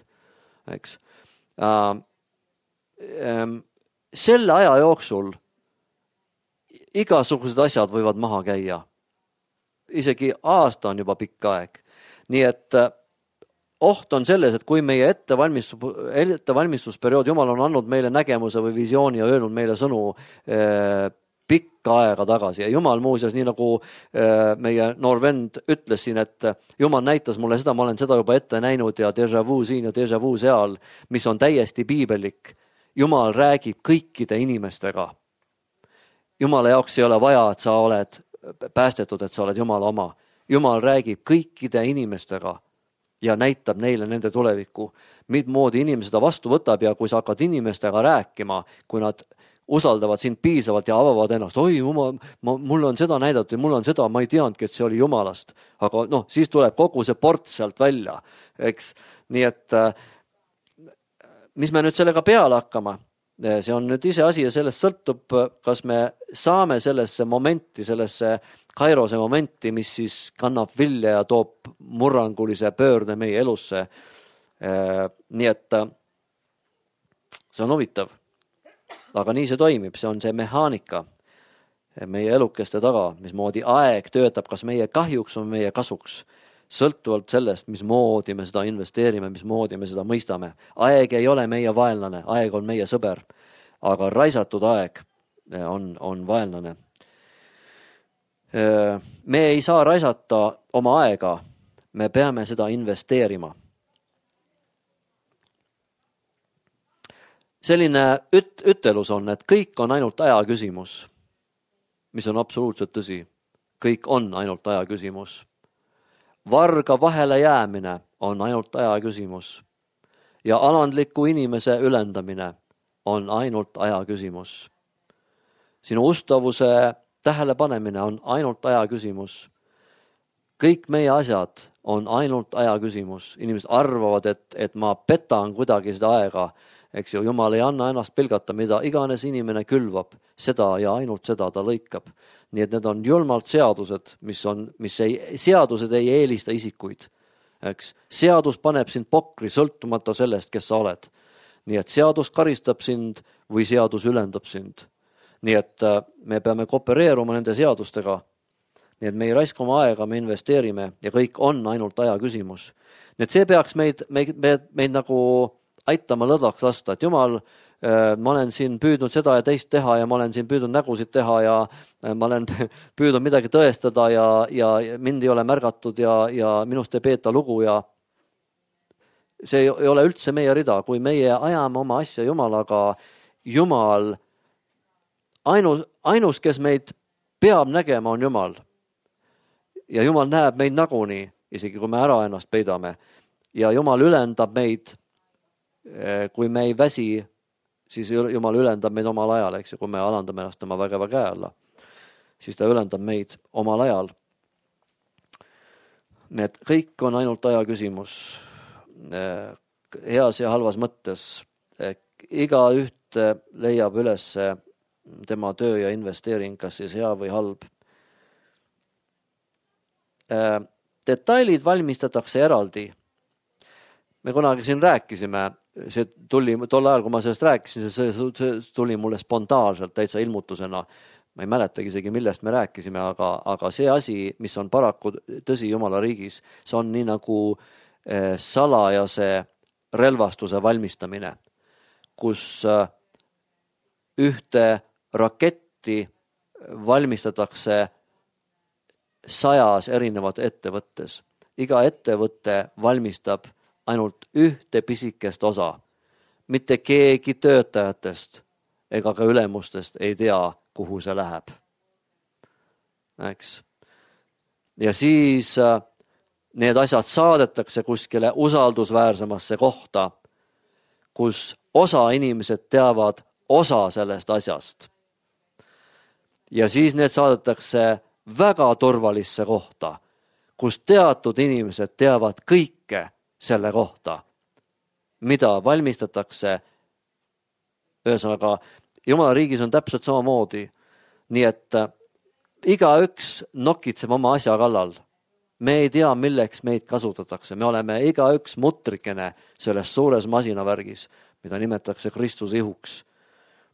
eks. Selle aja jooksul igasugused asjad võivad maha käia. Isegi aasta on juba pikk aeg. Nii et oht on selles, et kui meie ettevalmistus, ettevalmistusperiood, Jumal on andnud meile nägemuse või visiooni ja öelnud meile sõnu eh, pikka aega tagasi. Ja Jumal muuseas, nii nagu eh, meie noor vend ütles siin, et Jumal näitas mulle seda, ma olen seda juba ette näinud ja déjà vu siin ja déjà vu seal, mis on täiesti piibellik. Jumal räägib kõikide inimestega. Jumala jaoks ei ole vaja, et sa oled päästetud, et sa oled Jumala oma. Jumal räägib kõikide inimestega ja näitab neile nende tulevikku, midmoodi inimene seda vastu võtab ja kui sa hakkad inimestega rääkima, kui nad usaldavad sind piisavalt ja avavad ennast, oi Jumal, mul on seda näidatud ja mul on seda, ma ei teadnudki, et see oli Jumalast. Aga noh, siis tuleb kogu see port sealt välja, eks. Nii et mis me nüüd sellega peale hakkama? See on nüüd ise asi ja sellest sõltub, kas me saame sellesse momenti, sellesse kairose momenti, mis siis kannab vilja ja toob murrangulise pöörde meie elusse. Nii et see on huvitav. Aga nii see toimib, see on see mehaanika meie elukeste taga, mismoodi aeg töötab, kas meie kahjuks või meie kasuks. Sõltuvalt sellest, mismoodi me seda investeerime, mismoodi me seda mõistame. Aeg ei ole meie vaenlane, aeg on meie sõber, aga raisatud aeg on, on vaenlane. Me ei saa raisata oma aega, me peame seda investeerima. Selline üt, ütelus on, et kõik on ainult aja küsimus, mis on absoluutselt tõsi. Kõik on ainult aja küsimus. Varga vahele jäämine on ainult aja küsimus ja alandliku inimese ülendamine on ainult aja küsimus. Sinu ustavuse tähelepanemine on ainult aja küsimus. Kõik meie asjad on ainult aja küsimus. Inimesed arvavad, et, et ma petan kuidagi seda aega. Eks ju, Jumal ei anna ennast pilgata, mida iganes inimene külvab, seda ja ainult seda ta lõikab. Nii et need on julmalt seadused, mis on, mis ei, seadused ei eelista isikuid. Eks? Seadus paneb sind pokri sõltumata sellest, kes sa oled. Nii et seadus karistab sind või seadus ülendab sind. Nii et me peame koopereeruma nende seadustega. Nii et me ei raiska oma aega, me investeerime ja kõik on ainult aja küsimus. Nii et see peaks meid, meid, meid, meid nagu aitama lõdvaks lasta, et Jumal, ma olen siin püüdnud seda ja teist teha ja ma olen siin püüdnud nägusid teha ja ma olen püüdnud midagi tõestada ja, ja mind ei ole märgatud ja, ja minust ei peeta lugu ja see ei ole üldse meie rida, kui meie ajame oma asja Jumalaga, Jumal, ainus, ainus, kes meid peab nägema, on Jumal. Ja Jumal näeb meid nagunii, isegi kui me ära ennast peidame. Ja Jumal ülendab meid, kui me ei väsi, siis Jumal ülendab meid omal ajal, eks, kui me alandame ennast tema vägeva käe alla, siis ta ülendab meid omal ajal. Nii et kõik on ainult aja küsimus, heas ja halvas mõttes. Iga üht leiab üles tema töö ja investeering, kas siis hea või halb. Detailid valmistatakse eraldi. Me kunagi siin rääkisime, see tuli tol ajal, kui ma sellest rääkisin, see, see tuli mulle spontaanselt täitsa ilmutusena. Ma ei mäletagi isegi, millest me rääkisime, aga, aga see asi, mis on paraku tõsi Jumala riigis, see on nii nagu eh, salajase relvastuse valmistamine, kus eh, ühte raketti valmistatakse sajas erinevat ettevõttes. Iga ettevõtte valmistab ainult ühte pisikest osa. Mitte keegi töötajatest ega ka ülemustest ei tea, kuhu see läheb. Eks? Ja siis need asjad saadetakse kuskile usaldusväärsemasse kohta, kus osa inimesed teavad osa sellest asjast. Ja siis need saadetakse väga turvalisse kohta, kus teatud inimesed teavad kõike selle kohta, mida valmistatakse. Ühesõnaga, Jumala riigis on täpselt samamoodi. Nii et igaüks nokitseb oma asja kallal. Me ei tea, milleks meid kasutatakse. Me oleme igaüks mutrikene selles suures masinavärgis, mida nimetatakse Kristuse ihuks.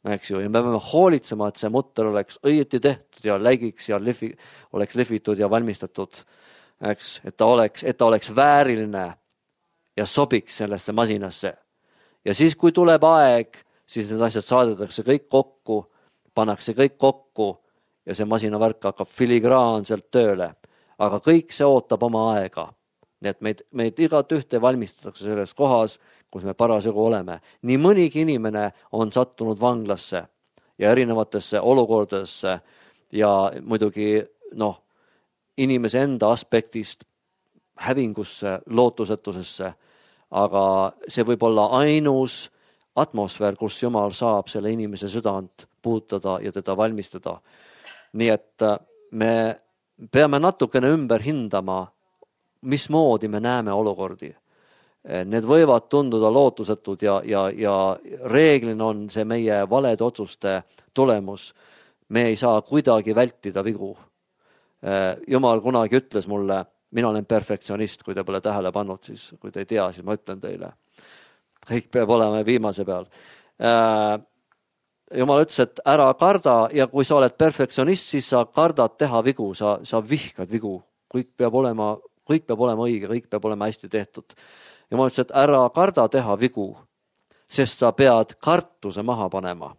Eks ju, ja me peame hoolitsema, et see mutter oleks õieti tehtud ja läigiks ja lihvi, oleks lihvitud ja valmistatud. Eks, et ta oleks, et ta oleks vääriline ja sobiks sellesse masinasse. Ja siis, kui tuleb aeg, siis need asjad saadetakse kõik kokku, pannakse kõik kokku ja see masinavärk hakkab filigraanselt tööle. Aga kõik see ootab oma aega. Nii et meid, meid igat ühte valmistatakse selles kohas, kus me parasjagu oleme. Nii mõnigi inimene on sattunud vanglasse ja erinevatesse olukordadesse ja muidugi noh, inimese enda aspektist hävingusse, lootusetusesse. Aga see võib olla ainus atmosfäär, kus Jumal saab selle inimese südant puutada ja teda valmistada. Nii et me peame natukene ümber hindama, mismoodi me näeme olukordi. Need võivad tunduda lootusetud ja, ja, ja reeglina on see meie valede otsuste tulemus. Me ei saa kuidagi vältida vigu. Jumal kunagi ütles mulle, mina olen perfektsionist, kui te pole tähele pannud, siis kui te ei tea, siis ma ütlen teile. Kõik peab olema viimase peal. Jumal ütles, et ära karda ja kui sa oled perfektsionist, siis sa kardad teha vigu, sa, sa vihkad vigu. Kõik peab olema, kõik peab olema õige, kõik peab olema hästi tehtud. Jumal ütles, et ära karda teha vigu, sest sa pead kartuse maha panema.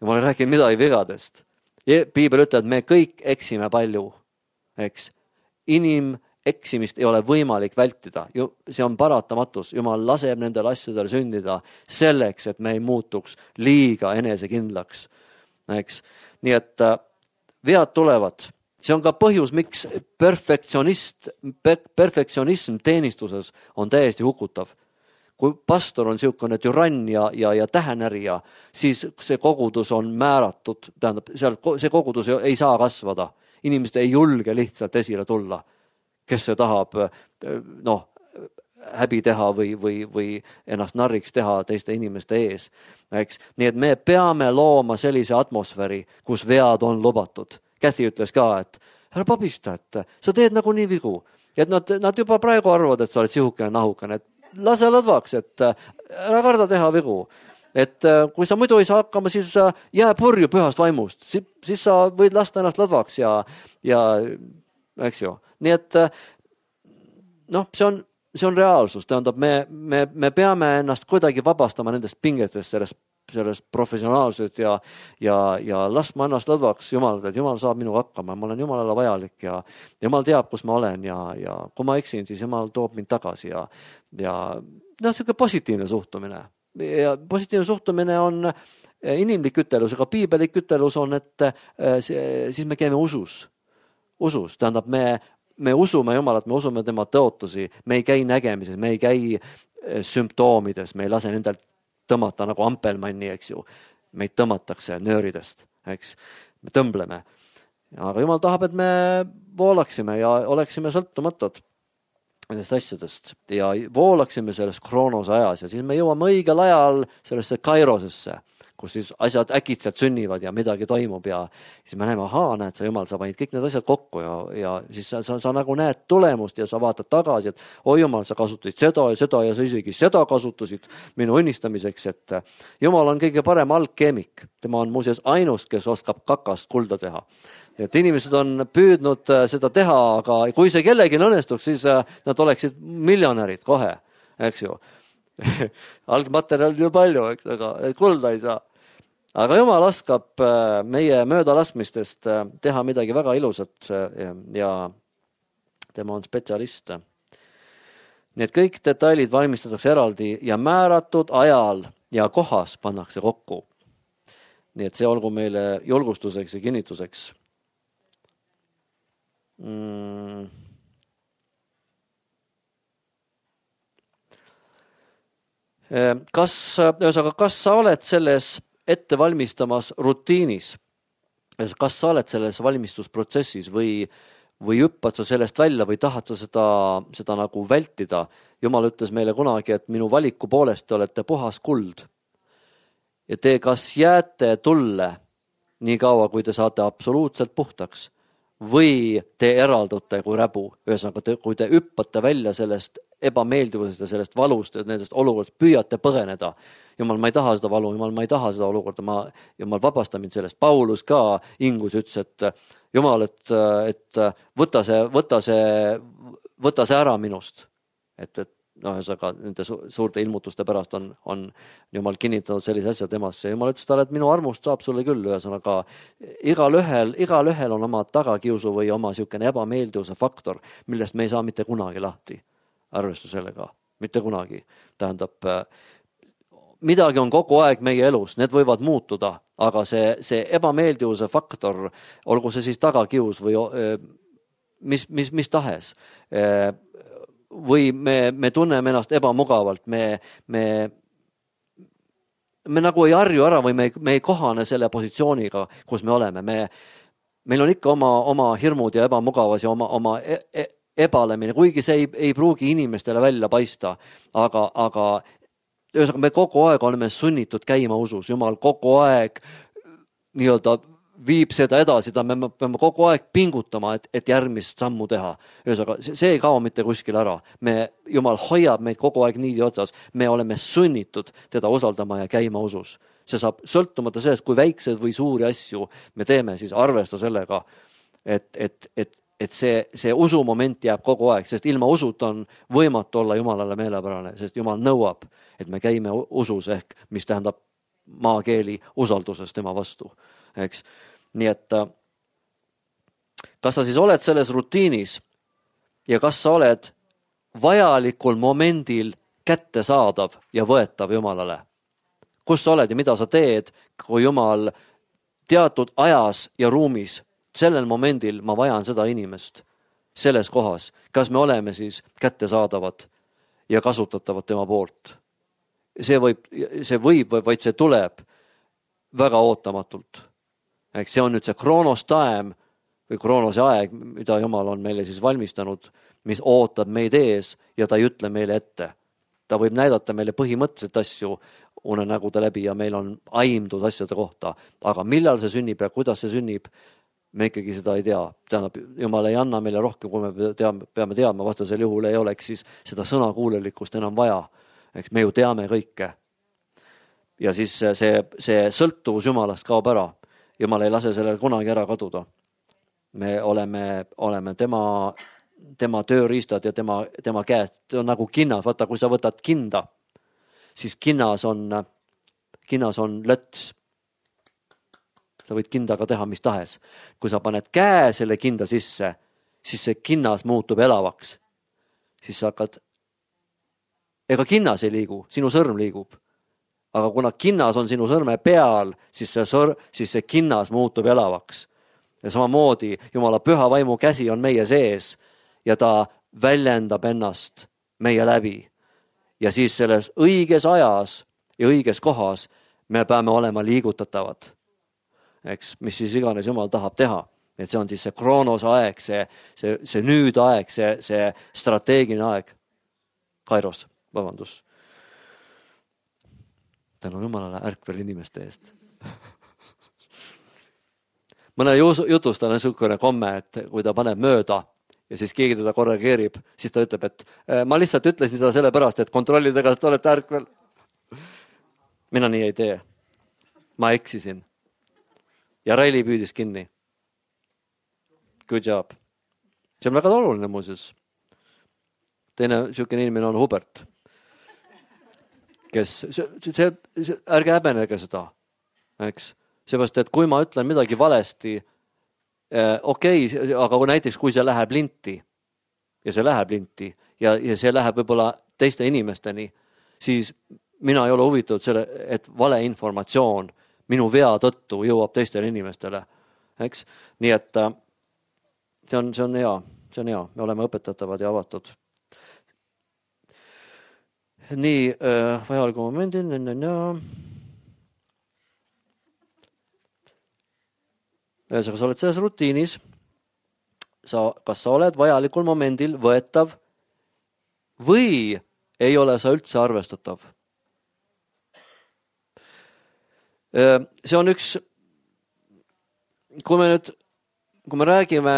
Jumal ei räägi midagi vigadest. Piibel ütleb, et me kõik eksime palju. Eks? Inim eksimist ei ole võimalik vältida. See on paratamatus. Jumal laseb nendel asjadel sündida selleks, et me ei muutuks liiga enesekindlaks. Eks? Nii et vead tulevad. See on ka põhjus, miks perfektsionist, perfektsionism teenistuses on täiesti hukutav. Kui pastor on siukene türann ja, ja, ja tähenärija, siis see kogudus on määratud. Tähendab, seal, see kogudus ei saa kasvada. Inimesed ei julge lihtsalt esile tulla. Kes see tahab noh, häbi teha või, või, või ennast narriks teha teiste inimeste ees. Eks? Nii et me peame looma sellise atmosfääri, kus vead on lubatud. Käsi ütles ka, et ära pabista, et sa teed nagu nii vigu. Ja et nad, nad juba praegu arvavad, et sa oled sihukene nahukene. Et lase lõdvaks, et ära karda teha vigu. Et kui sa muidu ei saa hakkama, siis jää purju pühast vaimust. Si, siis sa võid lasta ennast lõdvaks ja, ja eks ju. Nii et noh, see on, see on reaalsus. Tähendab, me, me, me peame ennast kuidagi vabastama nendest pingetest, sellest, sellest professionaalsest ja, ja, ja laskma ennast lõdvaks Jumal, et Jumal saab minuga hakkama. Ma olen Jumalale vajalik ja Jumal teab, kus ma olen ja, ja kui ma eksin, siis Jumal toob mind tagasi ja, ja noh, selline positiivne suhtumine. Ja positiivne suhtumine on inimlik ütelus, aga piibelik ütelus on, et siis me käime usus. Usus, tähendab, me, me usume Jumalat, me usume tema tõotusi, me ei käi nägemises, me ei käi sümptoomides, me ei lase nendel tõmmata nagu ampelmanni, eks ju. Meid tõmmatakse nööridest, eks. Me tõmbleme. Aga Jumal tahab, et me voolaksime ja oleksime sõltumatud nendest asjadest ja voolaksime selles kroonose ajas ja siis me jõuame õigel ajal sellesse kairosesse, kus siis asjad äkitselt sünnivad ja midagi toimub ja siis me näeme, ahaa, näed sa Jumal, sa panid kõik need asjad kokku ja, ja siis sa, sa, sa nagu näed tulemust ja sa vaatad tagasi, et oi Jumal, sa kasutasid seda ja seda ja sa isegi seda kasutasid minu õnnistamiseks, et Jumal on kõige parem algkeemik. Tema on muuseas ainus, kes oskab kakast kulda teha. Et inimesed on püüdnud seda teha, aga kui see kellegi õnnestuks, siis nad oleksid miljonärid kohe, eks ju. Algmaterjal on ju palju, eks, aga kulda ei saa. Aga Jumal oskab meie möödalaskmistest teha midagi väga ilusat ja tema on spetsialist. Nii et kõik detailid valmistatakse eraldi ja määratud ajal ja kohas pannakse kokku. Nii et see olgu meile julgustuseks ja kinnituseks. Mm. Kas, ühesõnaga, kas sa oled selles ettevalmistamas rutiinis, kas sa oled selles valmistusprotsessis või, või hüppad sa sellest välja või tahad sa seda, seda nagu vältida? Jumal ütles meile kunagi, et minu valiku poolest te olete puhas kuld. Ja te kas jääte tulle nii kaua, kui te saate absoluutselt puhtaks või te eraldute kui räbu. Ühesõnaga, te, kui te hüppate välja sellest ebameeldivusest ja sellest valust ja nendest olukordast, püüate põgeneda. Jumal, ma ei taha seda valu, Jumal, ma ei taha seda olukorda, ma, Jumal, vabasta mind sellest. Paulus ka hingus ütles, et Jumal, et, et võta see, võta see, võta see ära minust. Et, et noh, ühesõnaga, nende suurte ilmutuste pärast on, on Jumal kinnitanud sellise asja temasse. Jumal ütles talle, et minu armust saab sulle küll, ühesõnaga igal ühel, igal ühel on oma tagakiusu või oma siukene ebameeldivuse faktor, millest me ei saa mitte kunagi lahti. Arvestu sellega, mitte kunagi. Tähendab, midagi on kogu aeg meie elus, need võivad muutuda, aga see, see ebameeldivuse faktor, olgu see siis tagakius või mis, mis, mis tahes, või me, me tunneme ennast ebamugavalt, me, me, me nagu ei harju ära või me, me ei kohane selle positsiooniga, kus me oleme. Me, meil on ikka oma, oma hirmud ja ebamugavas ja oma, oma e, e, ebalemine, kuigi see ei, ei pruugi inimestele välja paista, aga, aga ühesõnaga me kogu aeg oleme sunnitud käima usus. Jumal kogu aeg nii-öelda viib seda edasi, ta me peame kogu aeg pingutama, et, et järgmist sammu teha. Ühesõnaga, see ei kao mitte kuskil ära. Me, Jumal hoiab meid kogu aeg niidi otsas. Me oleme sunnitud teda usaldama ja käima usus. See saab sõltumata sellest, kui väikseid või suuri asju me teeme, siis arvesta sellega, et, et, et et see, see usumoment jääb kogu aeg, sest ilma usut on võimatu olla Jumalale meelepärane, sest Jumal nõuab, et me käime usus ehk, mis tähendab maakeeli usalduses tema vastu. Eks? Nii et kas sa siis oled selles rutiinis ja kas sa oled vajalikul momendil kättesaadav ja võetav Jumalale? Kus sa oled ja mida sa teed, kui Jumal teatud ajas ja ruumis sellel momendil ma vajan seda inimest selles kohas. Kas me oleme siis kättesaadavad ja kasutatavad tema poolt? See võib, see võib, vaid see tuleb väga ootamatult. Ehk see on nüüd see kroonos time või kroonose aeg, mida Jumal on meile siis valmistanud, mis ootab meid ees ja ta ei ütle meile ette. Ta võib näidata meile põhimõtteliselt asju unenägude läbi ja meil on aimdus asjade kohta. Aga millal see sünnib ja kuidas see sünnib, me ikkagi seda ei tea. Tähendab, Jumal ei anna meile rohkem, kui me teame, peame teadma, vastasel juhul ei oleks siis seda sõnakuulelikkust enam vaja. Eks me ju teame kõike. Ja siis see, see sõltuvus Jumalast kaob ära. Jumal ei lase sellele kunagi ära kaduda. Me oleme, oleme tema, tema tööriistad ja tema, tema käest. See on nagu kinnas. Vaata, kui sa võtad kinda, siis kinnas on, kinnas on löts. Sa võid kindaga teha mis tahes. Kui sa paned käe selle kinda sisse, siis see kinnas muutub elavaks. Siis sa hakkad, ega kinnas ei liigu, sinu sõrm liigub. Aga kuna kinnas on sinu sõrme peal, siis see, sõr, siis see kinnas muutub elavaks. Ja samamoodi Jumala püha vaimu käsi on meie sees ja ta väljendab ennast meie läbi. Ja siis selles õiges ajas ja õiges kohas me peame olema liigutatavad. Eks, mis siis iganes Jumal tahab teha. Et see on siis see kroonos aeg, see, see, see nüüd aeg, see, see strateegiline aeg. Kairos, vabandus. Tänu Jumalale ärkvel inimeste eest. Mõne jutustal on niisugune komme, et kui ta paneb mööda ja siis keegi teda korregeerib, siis ta ütleb, et ma lihtsalt ütlesin seda sellepärast, et kontrollida, kas te olete ärkvel. Mina nii ei tee. Ma eksisin. Ja Raili püüdis kinni. Good job. See on väga oluline muuseas. Teine niisugune inimene on Hubert, kes, see, see, see, ärge häbenege seda. Eks? Seepärast, et kui ma ütlen midagi valesti, eh, okei, okay, aga kui näiteks kui see läheb linti ja see läheb linti ja, ja see läheb võib-olla teiste inimesteni, siis mina ei ole huvitatud selle, et valeinformatsioon minu vea tõttu jõuab teistele inimestele. Eks? Nii et see on, see on hea, see on hea. Me oleme õpetatavad ja avatud. nii äh, vajaliku momendil, ühesõnaga, sa oled selles rutiinis, sa, kas sa oled vajalikul momendil võetav või ei ole sa üldse arvestatav. See on üks, kui me nüüd, kui me räägime,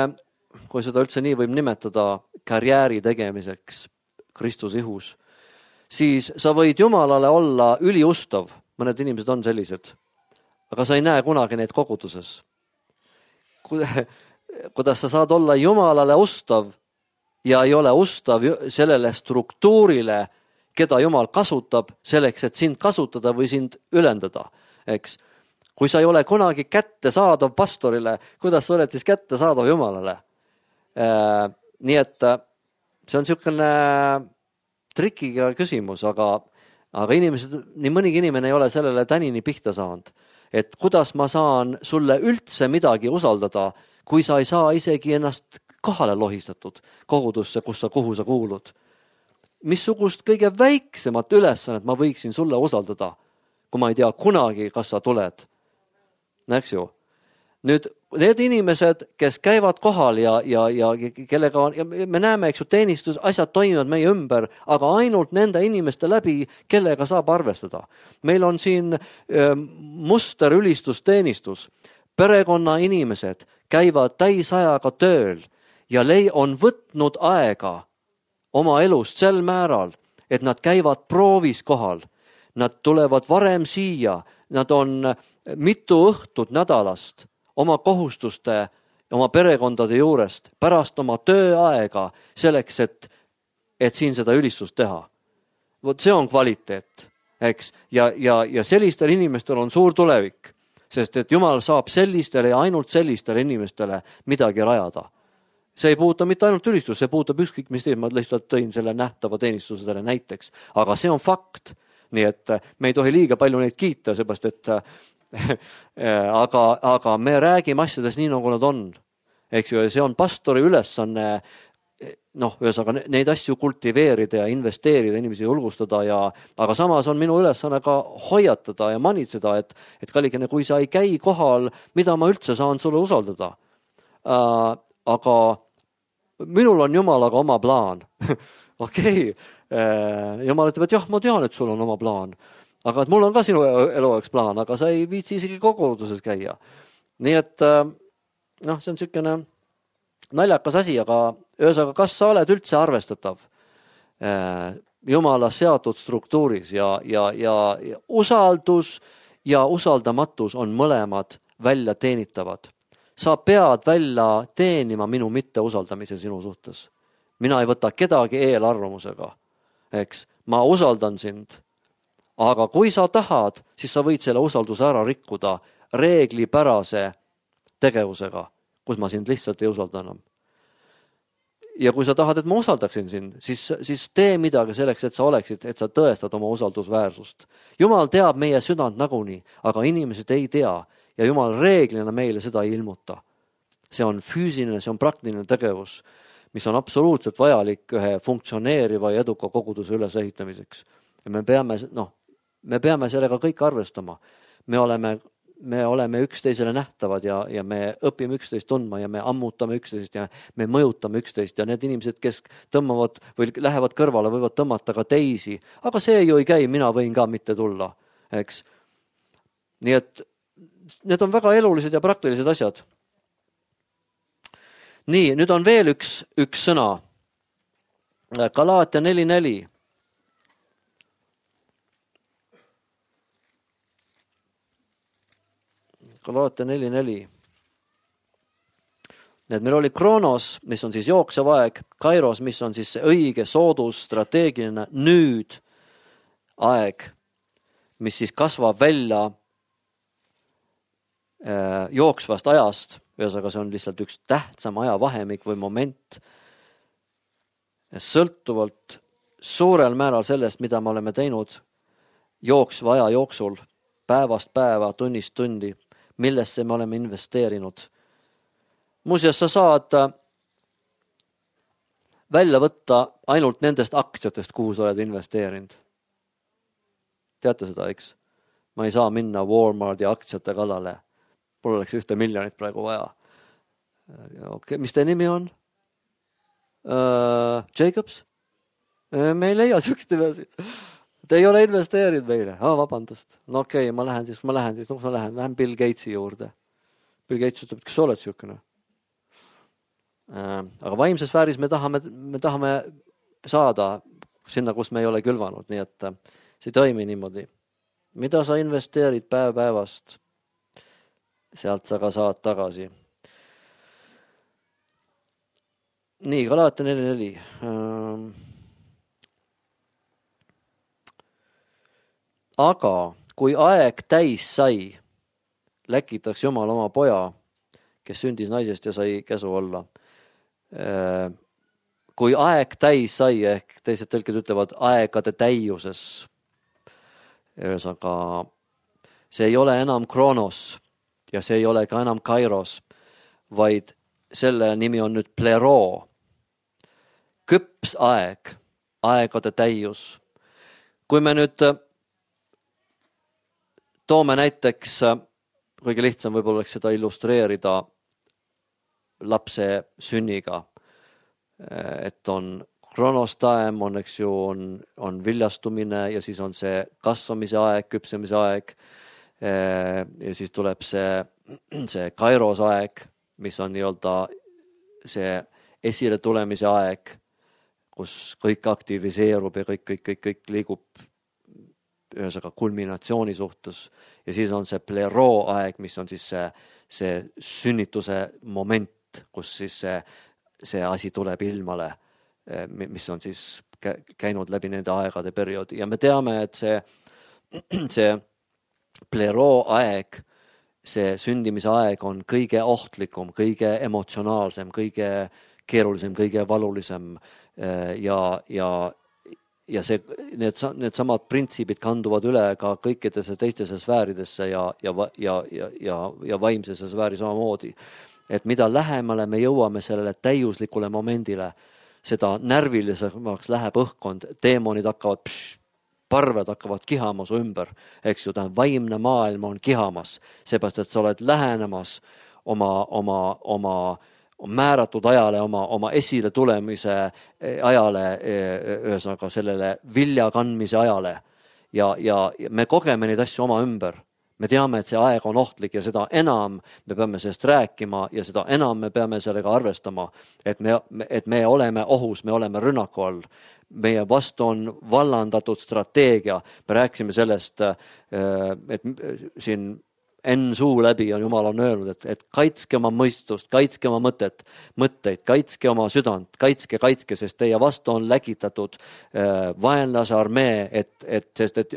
kui seda üldse nii võib nimetada, karjääri tegemiseks Kristuse ihus, siis sa võid Jumalale olla üliustav, mõned inimesed on sellised, aga sa ei näe kunagi neid koguduses. Kuidas sa saad olla Jumalale ustav ja ei ole ustav sellele struktuurile, keda Jumal kasutab selleks, et sind kasutada või sind ülendada. Eks? Kui sa ei ole kunagi kättesaadav pastorile, kuidas sa oled siis kättesaadav Jumalale? Äh, nii et see on niisugune trikiga küsimus, aga, aga inimesed, nii mõnigi inimene ei ole sellele tänini pihta saanud. Et kuidas ma saan sulle üldse midagi usaldada, kui sa ei saa isegi ennast kohale lohistatud kogudusse, kus sa, kuhu sa kuulud. Missugust kõige väiksemat ülesannet ma võiksin sulle usaldada, kui ma ei tea kunagi, kas sa tuled. Näeks ju? Nüüd need inimesed, kes käivad kohal ja, ja, ja kellega on, ja me näeme, eks ju, teenistus, asjad toimivad meie ümber, aga ainult nende inimeste läbi, kellega saab arvestada. Meil on siin äh, muster ülistusteenistus. Perekonna inimesed käivad täisajaga tööl ja lei on võtnud aega oma elust sel määral, et nad käivad proovis kohal. Nad tulevad varem siia, nad on mitu õhtut nädalast oma kohustuste, oma perekondade juurest, pärast oma tööaega selleks, et, et siin seda ülistust teha. Vot see on kvaliteet, eks? Ja, ja, ja sellistel inimestel on suur tulevik, sest et Jumal saab sellistele ja ainult sellistele inimestele midagi rajada. See ei puuta mitte ainult ülistust, see puutab ükskõik mis teed, ma lihtsalt tõin selle nähtava teenistusedele näiteks. Aga see on fakt. Nii et me ei tohi liiga palju neid kiita, seepärast et aga, aga me räägime asjades nii, nagu nad on. Eks ju, see on pastori ülesanne, noh, ühesõnaga neid asju kultiveerida ja investeerida, inimesi julgustada, ja, aga samas on minu ülesanne ka hoiatada ja manitseda, et, et kallikene, kui sa ei käi kohal, mida ma üldse saan sulle usaldada. Äh, aga minul on Jumalaga oma plaan. Okei, äh, Jumal ütleb, et jah, ma tean, et sul on oma plaan. Aga et mul on ka sinu eluaegs plaan, aga sa ei viitsi isegi koguduses käia. Nii et noh, see on niisugune naljakas asi, aga ühesõnaga, kas sa oled üldse arvestatav Jumala seatud struktuuris ja, ja, ja, ja usaldus ja usaldamatus on mõlemad välja teenitavad. Sa pead välja teenima minu mitteusaldamise sinu suhtes. Mina ei võta kedagi eelarvamusega, eks, ma usaldan sind. Aga kui sa tahad, siis sa võid selle usalduse ära rikkuda reeglipärase tegevusega, kus ma sind lihtsalt ei usalda enam. Ja kui sa tahad, et ma usaldaksin sind, siis, siis tee midagi selleks, et sa oleksid, et sa tõestad oma usaldusväärsust. Jumal teab meie südant nagunii, aga inimesed ei tea ja Jumal reeglina meile seda ei ilmuta. See on füüsiline, see on praktiline tegevus, mis on absoluutselt vajalik ühe funktsioneeriva ja eduka koguduse ülesehitamiseks. Ja me peame, noh, me peame sellega kõik arvestama. Me oleme, me oleme üksteisele nähtavad ja, ja me õpime üksteist tundma ja me ammutame üksteist ja me mõjutame üksteist ja need inimesed, kes tõmmavad või lähevad kõrvale, võivad tõmmata ka teisi. Aga see ju ei käi, mina võin ka mitte tulla, eks. Nii et need on väga elulised ja praktilised asjad. Nii, nüüd on veel üks, üks sõna. Galaatia neli neli. Galaatia neli neli. Need meil oli Kronos, mis on siis jooksev aeg, Kairos, mis on siis see õige, soodus, strateegiline nüüd aeg, mis siis kasvab välja äh, jooksvast ajast, ühesõnaga see on lihtsalt üks tähtsam ajavahemik või moment, sõltuvalt suurel määral sellest, mida me oleme teinud jooksva aja jooksul, päevast päeva, tunnist tundi, millesse me oleme investeerinud. Muuseas, sa saad välja võtta ainult nendest aktsiatest, kuhu sa oled investeerinud. teate seda, eks? Ma ei saa minna Walmarti aktsiate kallale. Mul oleks ühte miljonit praegu vaja. Okay. Mis teie nimi on? Uh, Jacobs? Me ei leia sükst nimesi. Te ei ole investeerinud meile. Ah, vabandust. No okei, okay, ma lähen siis, ma lähen siis, noh, ma lähen, lähen Bill Gatesi juurde. Bill Gates ütleb, kas sa oled sükene? Uh, aga vaimses sfääris me tahame, me tahame saada sinna, kus me ei ole külvanud, nii et see ei toimi niimoodi. Mida sa investeerid päev päevast? Sealt sa ka saad tagasi. Nii, Galatia neli neli. Aga kui aeg täis sai, läkitaks Jumal oma poja, kes sündis naisest ja sai käsu olla. Kui aeg täis sai, ehk teised tõlked ütlevad aegade täiuses, ühesõnaga, see ei ole enam Kronos ja see ei ole ka enam Kairos, vaid selle nimi on nüüd pleroo. Küps aeg, aegade täius. Kui me nüüd toome näiteks, kõige lihtsam võib-olla oleks seda illustreerida lapse sünniga, et on kronostaem, on, eks ju, on, on viljastumine ja siis on see kasvamise aeg, küpsemise aeg ja siis tuleb see, see kairos aeg, mis on nii-öelda see esile tulemise aeg, kus kõik aktiviseerub ja kõik, kõik, kõik, kõik liigub ühesõnaga kulminatsiooni suhtes ja siis on see pleroo aeg, mis on siis see, see sünnituse moment, kus siis see, see asi tuleb ilmale, mis on siis käinud läbi nende aegade perioodi ja me teame, et see, see pleroo aeg, see sündimise aeg on kõige ohtlikum, kõige emotsionaalsem, kõige keerulisem, kõige valulisem ja, ja, ja see, need, need samad printsiibid kanduvad üle ka kõikidesse teistesse sfääridesse ja, ja, ja, ja, ja, ja vaimsesse sfääri samamoodi. Et mida lähemale me jõuame sellele täiuslikule momendile, seda närvilisemaks läheb õhkkond, teemonid hakkavad, pš, parved hakkavad kihama su ümber, eks ju, ta vaimne maailm on kihamas, seepärast, et sa oled lähenemas oma, oma, oma määratud ajale, oma, oma esile tulemise ajale, ühesõnaga sellele vilja kandmise ajale ja, ja me kogeme neid asju oma ümber. Me teame, et see aeg on ohtlik ja seda enam me peame sellest rääkima ja seda enam me peame sellega arvestama, et me, et me oleme ohus, me oleme rünnaku all. Meie vastu on vallandatud strateegia. Me rääkisime sellest, et siin Enn suu läbi on Jumal on öelnud, et, et kaitske oma mõistust, kaitske oma mõtet, mõtteid, kaitske oma südant, kaitske, kaitske, sest teie vastu on läkitatud äh, vaenlase armee, et, et, sest et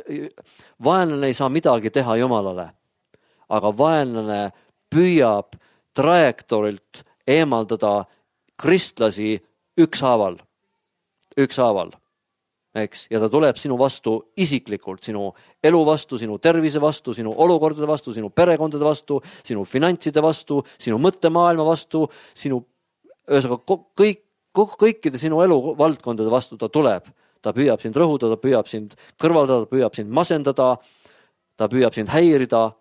vaenlane ei saa midagi teha Jumalale, aga vaenlane püüab trajektoorilt eemaldada kristlasi ükshaaval, ükshaaval. Eks? Ja ta tuleb sinu vastu isiklikult, sinu elu vastu, sinu tervise vastu, sinu olukordade vastu, sinu perekondade vastu, sinu finantside vastu, sinu mõttemaailma vastu, sinu ühesõnaga kõik, kõikide sinu elu valdkondade vastu ta tuleb. Ta püüab sind rõhuda, ta püüab sind kõrvaldada, ta püüab sind masendada, ta püüab sind häirida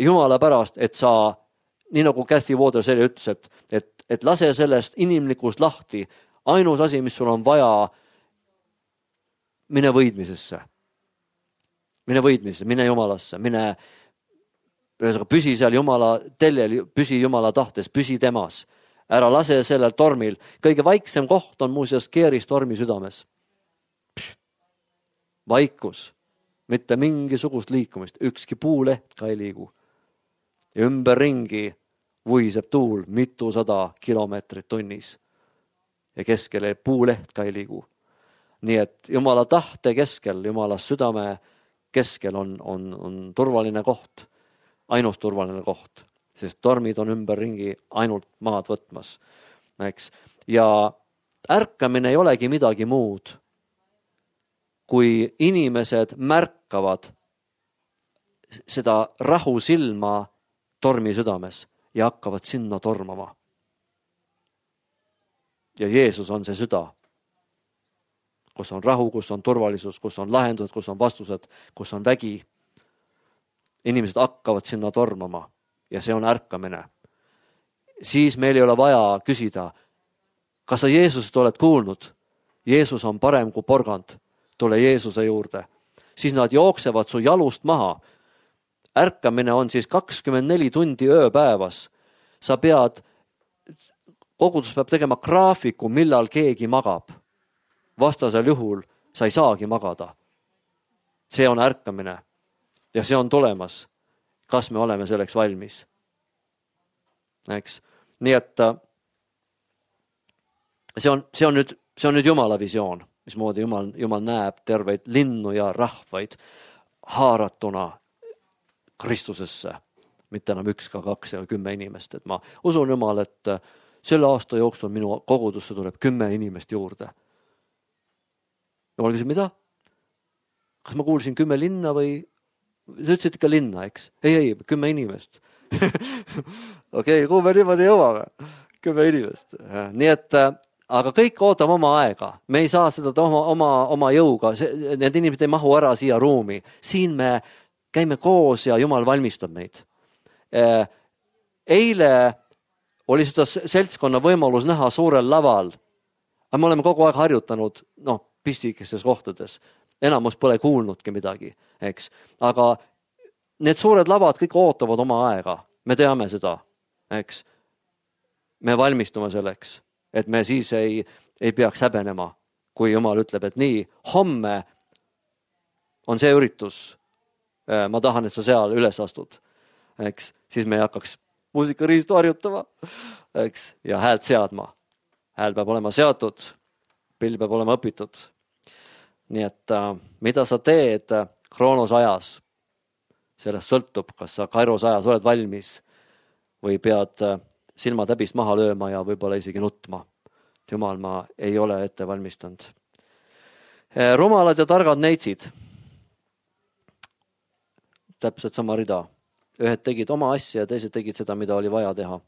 Jumala pärast, et sa, nii nagu Kathy Watersell ütles, et, et, et lase sellest inimlikust lahti. Ainus asi, mis sul on vaja, mine võidmisesse, mine võidmisesse, mine Jumalasse, mine, ühesõnaga, püsi seal Jumala teljel, püsi Jumala tahtes, püsi temas, ära lase sellel tormil. Kõige vaiksem koht on muuseas keeristormi südames. Pš, vaikus, mitte mingisugust liikumist, ükski puuleht ka ei liigu. Ja ümberringi vuhiseb tuul mitusada kilomeetrit tunnis ja keskele puuleht ka ei liigu. Nii et Jumala tahte keskel, Jumala südame keskel on, on, on turvaline koht, ainus turvaline koht, sest tormid on ümberringi ainult maad võtmas. Eks? Ja ärkamine ei olegi midagi muud, kui inimesed märkavad seda rahu silma tormi südames ja hakkavad sinna tormama. Ja Jeesus on see süda. kus on rahu, kus on turvalisus, kus on lahendused, kus on vastused, kus on vägi. Inimesed hakkavad sinna tormama ja see on ärkamine. Siis meil ei ole vaja küsida, kas sa Jeesusest oled kuulnud? Jeesus on parem kui porgand. Tule Jeesuse juurde. Siis nad jooksevad su jalust maha. Ärkamine on siis kakskümmend neli tundi ööpäevas. Sa pead, kogudus peab tegema graafiku, millal keegi magab. Vastasel juhul sa ei saagi magada. See on ärkamine ja see on tulemas. Kas me oleme selleks valmis? Eks? Nii et see on, see on nüüd, see on nüüd Jumala visioon, mismoodi Jumal, Jumal näeb terveid linnu ja rahvaid haaratuna Kristusesse. Mitte enam üks, ka kaks ja kümme inimest. Et ma usun Jumal, et selle aasta jooksul minu kogudusse tuleb kümme inimest juurde. Jumal küsis, mida? Kas ma kuulsin kümme linna või? Sa ütlesid ikka linna, eks? Ei, ei, kümme inimest. Okei, kuhu me niimoodi jõuame? Kümme inimest. Nii et, aga kõik ootab oma aega. Me ei saa seda oma, oma, oma jõuga. Need inimesed ei mahu ära siia ruumi. Siin me käime koos ja Jumal valmistab meid. Eile oli seda seltskonna võimalus näha suurel laval. Aga me oleme kogu aeg harjutanud, noh, pistikestes kohtades. Enamus pole kuulnudki midagi, eks. Aga need suured lavad kõik ootavad oma aega. Me teame seda, eks. Me valmistume selleks, et me siis ei, ei peaks häbenema, kui Jumal ütleb, et nii, homme on see üritus. Ma tahan, et sa seal üles astud, eks. Siis me ei hakkaks muusikariistu harjutama, eks. Ja häält seadma. Hääl peab olema seatud, pill peab olema õpitud. Nii et äh, mida sa teed kroonos ajas, sellest sõltub, kas sa kairos ajas oled valmis või pead äh, silmad häbist maha lööma ja võib-olla isegi nutma. Jumal, ma ei ole ette valmistanud. E, rumalad ja targad neitsid. Täpselt sama rida. Ühed tegid oma asja ja teised tegid seda, mida oli vaja teha.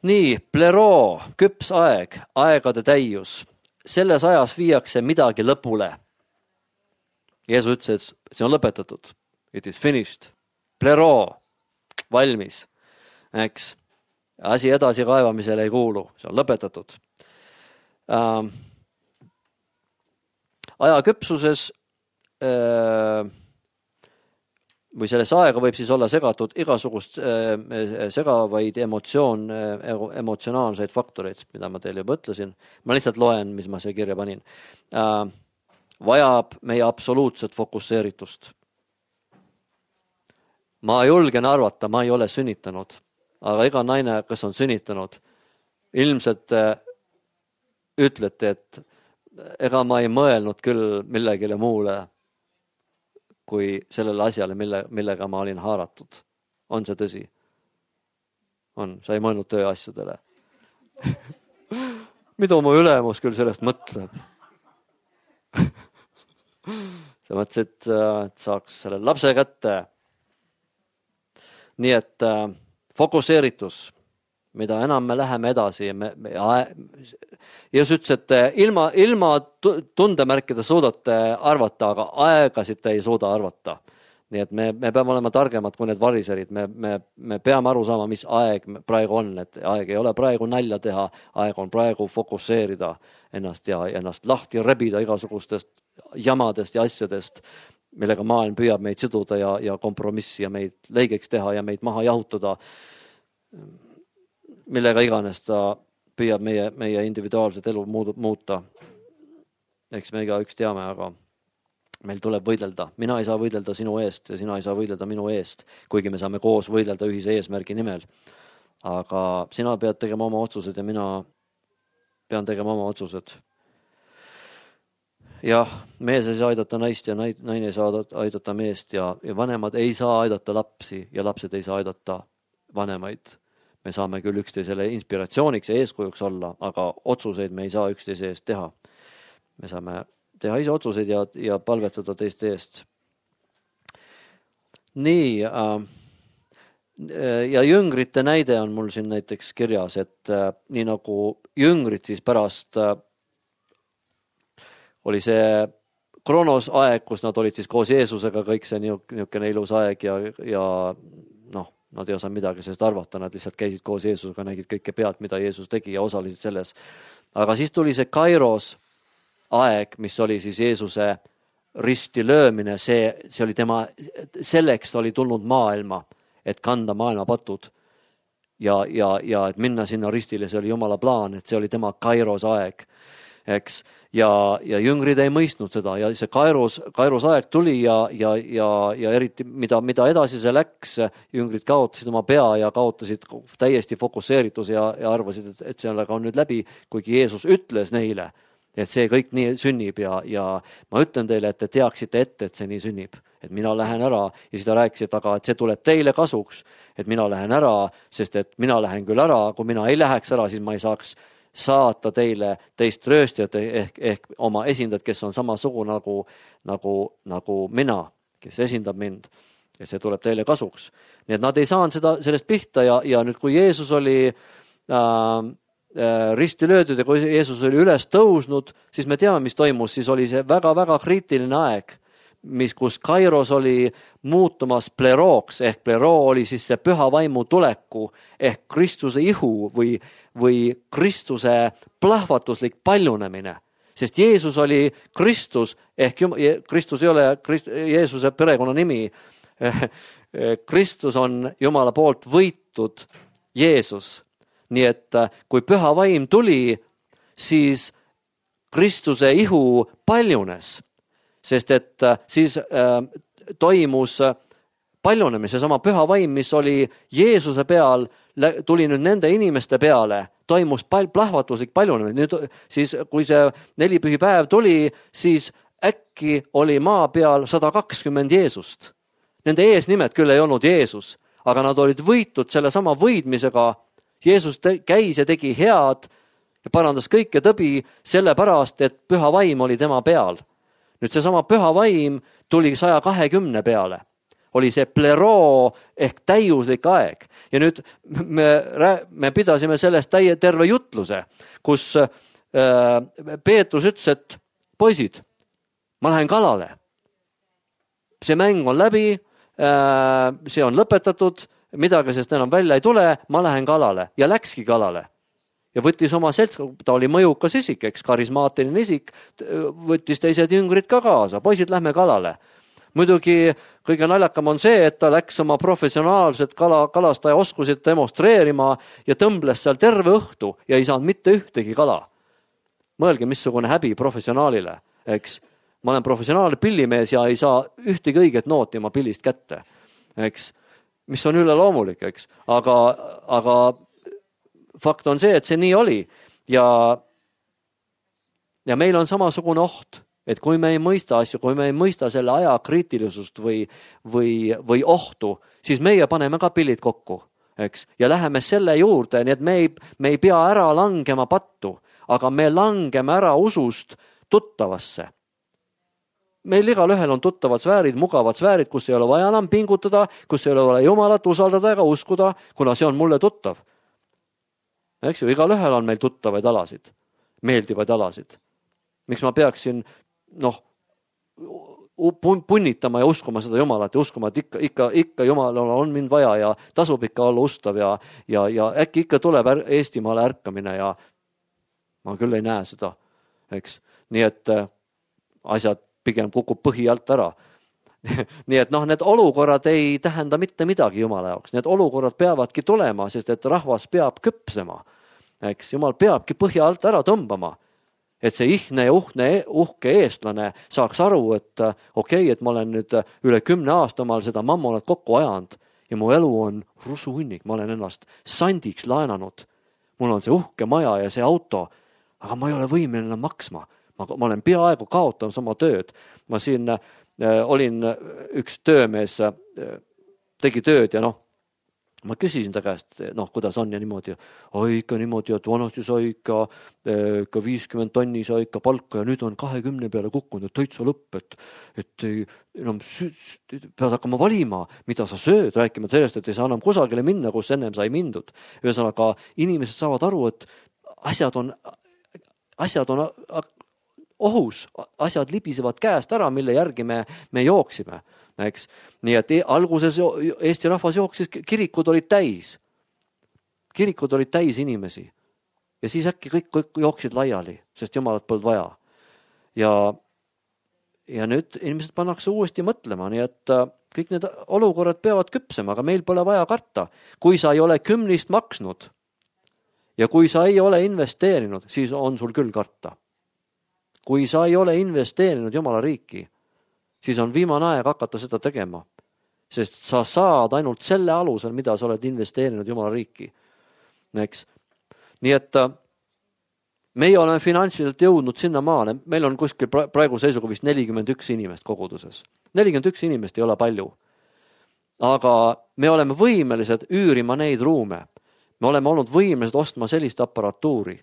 Nii, pleroo, küps aeg, aegade täius. Selles ajas viiakse midagi lõpule. Jeesus ütles, et see on lõpetatud. It is finished. Pleroo, valmis. Eks. Asi edasi kaevamisele ei kuulu. See on lõpetatud. Ähm, aja küpsuses äh, või selles aega võib siis olla segatud igasugust äh, segavaid emotsioon, äh, emotsionaalseid faktoreid, mida ma teile juba ütlesin. Ma lihtsalt loen, mis ma see kirja panin. Äh, vajab meie absoluutset fokusseeritust. Ma julgen arvata, ma ei ole sünnitanud, aga iga naine, kes on sünnitanud, ilmselt äh, ütlete, et ega ma ei mõelnud küll millegile muule, kui sellele asjale, mille, millega ma olin haaratud. On see tõsi? On. Sa ei mõelnud tööasjadele. Mida mu ülemus küll sellest mõtleb? Sa mõtlesid, et saaks selle lapse kätte. Nii et äh, fokusseeritus, mida enam me läheme edasi. Me, me, Jeesus ütles, et ilma, ilma tundemärkida suudate arvata, aga aegasid te ei suuda arvata. Nii et me, me peame olema targemad kui need variserid. Me, me, me peame aru saama, mis aeg praegu on. Et aeg ei ole praegu nalja teha, aeg on praegu fokusseerida ennast ja ennast lahti rebida igasugustest jamadest ja asjadest, millega maailm püüab meid siduda ja, ja kompromissi ja meid leigeks teha ja meid maha jahutada. Millega iganes ta püüab meie, meie individuaalset elu muuta. Eks me iga üks teame, aga meil tuleb võidelda. Mina ei saa võidelda sinu eest ja sina ei saa võidelda minu eest, kuigi me saame koos võidelda ühise eesmärgi nimel. Aga sina pead tegema oma otsused ja mina pean tegema oma otsused. Jah, mees ei saa aidata naist ja naine ei saa aidata meest ja, ja vanemad ei saa aidata lapsi ja lapsed ei saa aidata vanemaid. Me saame küll üksteisele inspiratsiooniks ja eeskujuks olla, aga otsuseid me ei saa üksteise eest teha. Me saame teha ise otsuseid ja, ja palvetada teiste eest. Nii, äh, ja jüngrite näide on mul siin näiteks kirjas, et äh, nii nagu jüngrid siis pärast äh, oli see Kronos aeg, kus nad olid siis koos Jeesusega, kõik see niisugune ilus aeg ja, ja noh, nad ei osanud midagi sellest arvata, nad lihtsalt käisid koos Jeesusega, nägid kõike pealt, mida Jeesus tegi ja osalesid selles. Aga siis tuli see Kairos aeg, mis oli siis Jeesuse risti löömine, see, see oli tema, selleks oli tulnud maailma, et kanda maailma patud ja, ja, ja et minna sinna ristile, see oli Jumala plaan, et see oli tema Kairos aeg, eks. Ja, ja jüngrid ei mõistnud seda ja see Kairos, Kairos aeg tuli ja, ja, ja, ja eriti mida, mida edasi see läks, jüngrid kaotasid oma pea ja kaotasid täiesti fokusseeritus ja, ja arvasid, et, et sellega on nüüd läbi, kuigi Jeesus ütles neile, et see kõik nii sünnib ja, ja ma ütlen teile, et te teaksite ette, et see nii sünnib, et mina lähen ära ja siis ta rääkis, et aga et see tuleb teile kasuks, et mina lähen ära, sest et mina lähen küll ära, kui mina ei läheks ära, siis ma ei saaks saata teile teist rööstjat ehk, ehk oma esindajat, kes on samasugu nagu, nagu, nagu mina, kes esindab mind ja see tuleb teile kasuks. Nii et nad ei saanud seda, sellest pihta ja, ja nüüd kui Jeesus oli äh, äh, risti löödud ja kui Jeesus oli üles tõusnud, siis me teame, mis toimus, siis oli see väga-väga kriitiline aeg, mis, kus Kairos oli muutumas plerooks ehk pleroo oli siis see püha vaimu tuleku ehk Kristuse ihu või, või Kristuse plahvatuslik paljunemine. Sest Jeesus oli Kristus ehk Kristus ei ole Krist, Jeesuse perekonna nimi. Kristus on Jumala poolt võitud Jeesus. Nii et kui püha vaim tuli, siis Kristuse ihu paljunes. Sest et siis äh, toimus paljunemise sama püha vaim, mis oli Jeesuse peal, tuli nüüd nende inimeste peale, toimus pal- plahvatuslik paljunemine. Nüüd siis, kui see nelipühipäev tuli, siis äkki oli maa peal sada kakskümmend Jeesust. Nende eesnimed küll ei olnud Jeesus, aga nad olid võitud selle sama võidmisega. Jeesus te- käis ja tegi head ja parandas kõike tõbi sellepärast, et püha vaim oli tema peal. Nüüd see sama püha vaim tuli saja kahekümne peale. Oli see pleroo ehk täiuslik aeg. Ja nüüd me, me pidasime sellest täie terve jutluse, kus äh, Peetrus ütles, et poisid, ma lähen kalale. See mäng on läbi, äh, see on lõpetatud, midagi sest enam välja ei tule, ma lähen kalale ja läkski kalale. Ja võttis oma seltskond, ta oli mõjukas isik, eks, karismaatiline isik, võttis teised jüngrid ka kaasa, poisid, lähme kalale. Muidugi kõige naljakam on see, et ta läks oma professionaalset kala, kalastaja oskusid demonstreerima ja tõmbles seal terve õhtu ja ei saanud mitte ühtegi kala. Mõelge, missugune häbi professionaalile, eks. Ma olen professionaalne pillimees ja ei saa ühtegi õiget nooti oma pillist kätte, eks. Mis on üle loomulik, eks. Aga, aga fakt on see, et see nii oli ja, ja meil on samasugune oht, et kui me ei mõista asju, kui me ei mõista selle aja kriitilisust või, või, või ohtu, siis meie paneme ka pillid kokku, eks, ja läheme selle juurde, nii et me ei, me ei pea ära langema pattu, aga me langeme ära usust tuttavasse. Meil igal ühel on tuttavad sfäärid, mugavad sfäärid, kus ei ole vaja enam pingutada, kus ei ole vaja Jumalat usaldada ega uskuda, kuna see on mulle tuttav. Eks ju, igal ühel on meil tuttavaid alasid, meeldivaid alasid. Miks ma peaksin noh, punnitama ja uskuma seda Jumalat ja uskuma, et ikka, ikka, ikka Jumalal on mind vaja ja tasub ikka olla ustav ja, ja, ja äkki ikka tuleb Eestimaale ärkamine ja ma küll ei näe seda, eks. Nii et asjad pigem kukub põhi alt ära. Nii et noh, need olukorrad ei tähenda mitte midagi Jumala jaoks. Need olukorrad peavadki tulema, sest et rahvas peab küpsema. Eks Jumal peabki põhja alt ära tõmbama. Et see ihne ja uhne, uhke eestlane saaks aru, et okei, okay, et ma olen nüüd üle kümne aasta omal seda mammonat kokku ajanud ja mu elu on rusuhunnik, ma olen ennast sandiks laenanud. Mul on see uhke maja ja see auto, aga ma ei ole võimeline maksma. Ma, ma olen peaaegu kaotamas oma tööd. Ma siin olin üks töömees, tegi tööd ja noh, ma küsisin ta käest, noh, kuidas on ja niimoodi. Oi, ikka niimoodi, et vanasti sai ikka, ikka viiskümmend tonni sai ikka palka ja nüüd on kahekümne peale kukkunud, et täitsa lõpp, et, et ei, enam pead hakkama valima, mida sa sööd, rääkima sellest, et ei saa enam kusagile minna, kus ennem sai mindud. Ühesõnaga, inimesed saavad aru, et asjad on, asjad on ohus, asjad libisevad käest ära, mille järgi me, me jooksime, eks. Nii et alguses Eesti rahvas jooksis, kirikud olid täis. Kirikud olid täis inimesi. Ja siis äkki kõik, kõik jooksid laiali, sest jumalat polnud vaja. Ja, ja nüüd inimesed pannakse uuesti mõtlema, nii et kõik need olukorrad peavad küpsema, aga meil pole vaja karta. Kui sa ei ole kümnist maksnud ja kui sa ei ole investeerinud, siis on sul küll karta. Kui sa ei ole investeerinud Jumala riiki, siis on viimane aeg hakata seda tegema. Sest sa saad ainult selle alusel, mida sa oled investeerinud Jumala riiki. Eks. Nii et meie oleme finantsiliselt jõudnud sinna maale. Meil on kuskil praegu seisuga vist nelikümmend üks inimest koguduses. nelikümmend üks inimest ei ole palju. Aga me oleme võimelised üürima neid ruume. Me oleme olnud võimelised ostma sellist aparatuuri.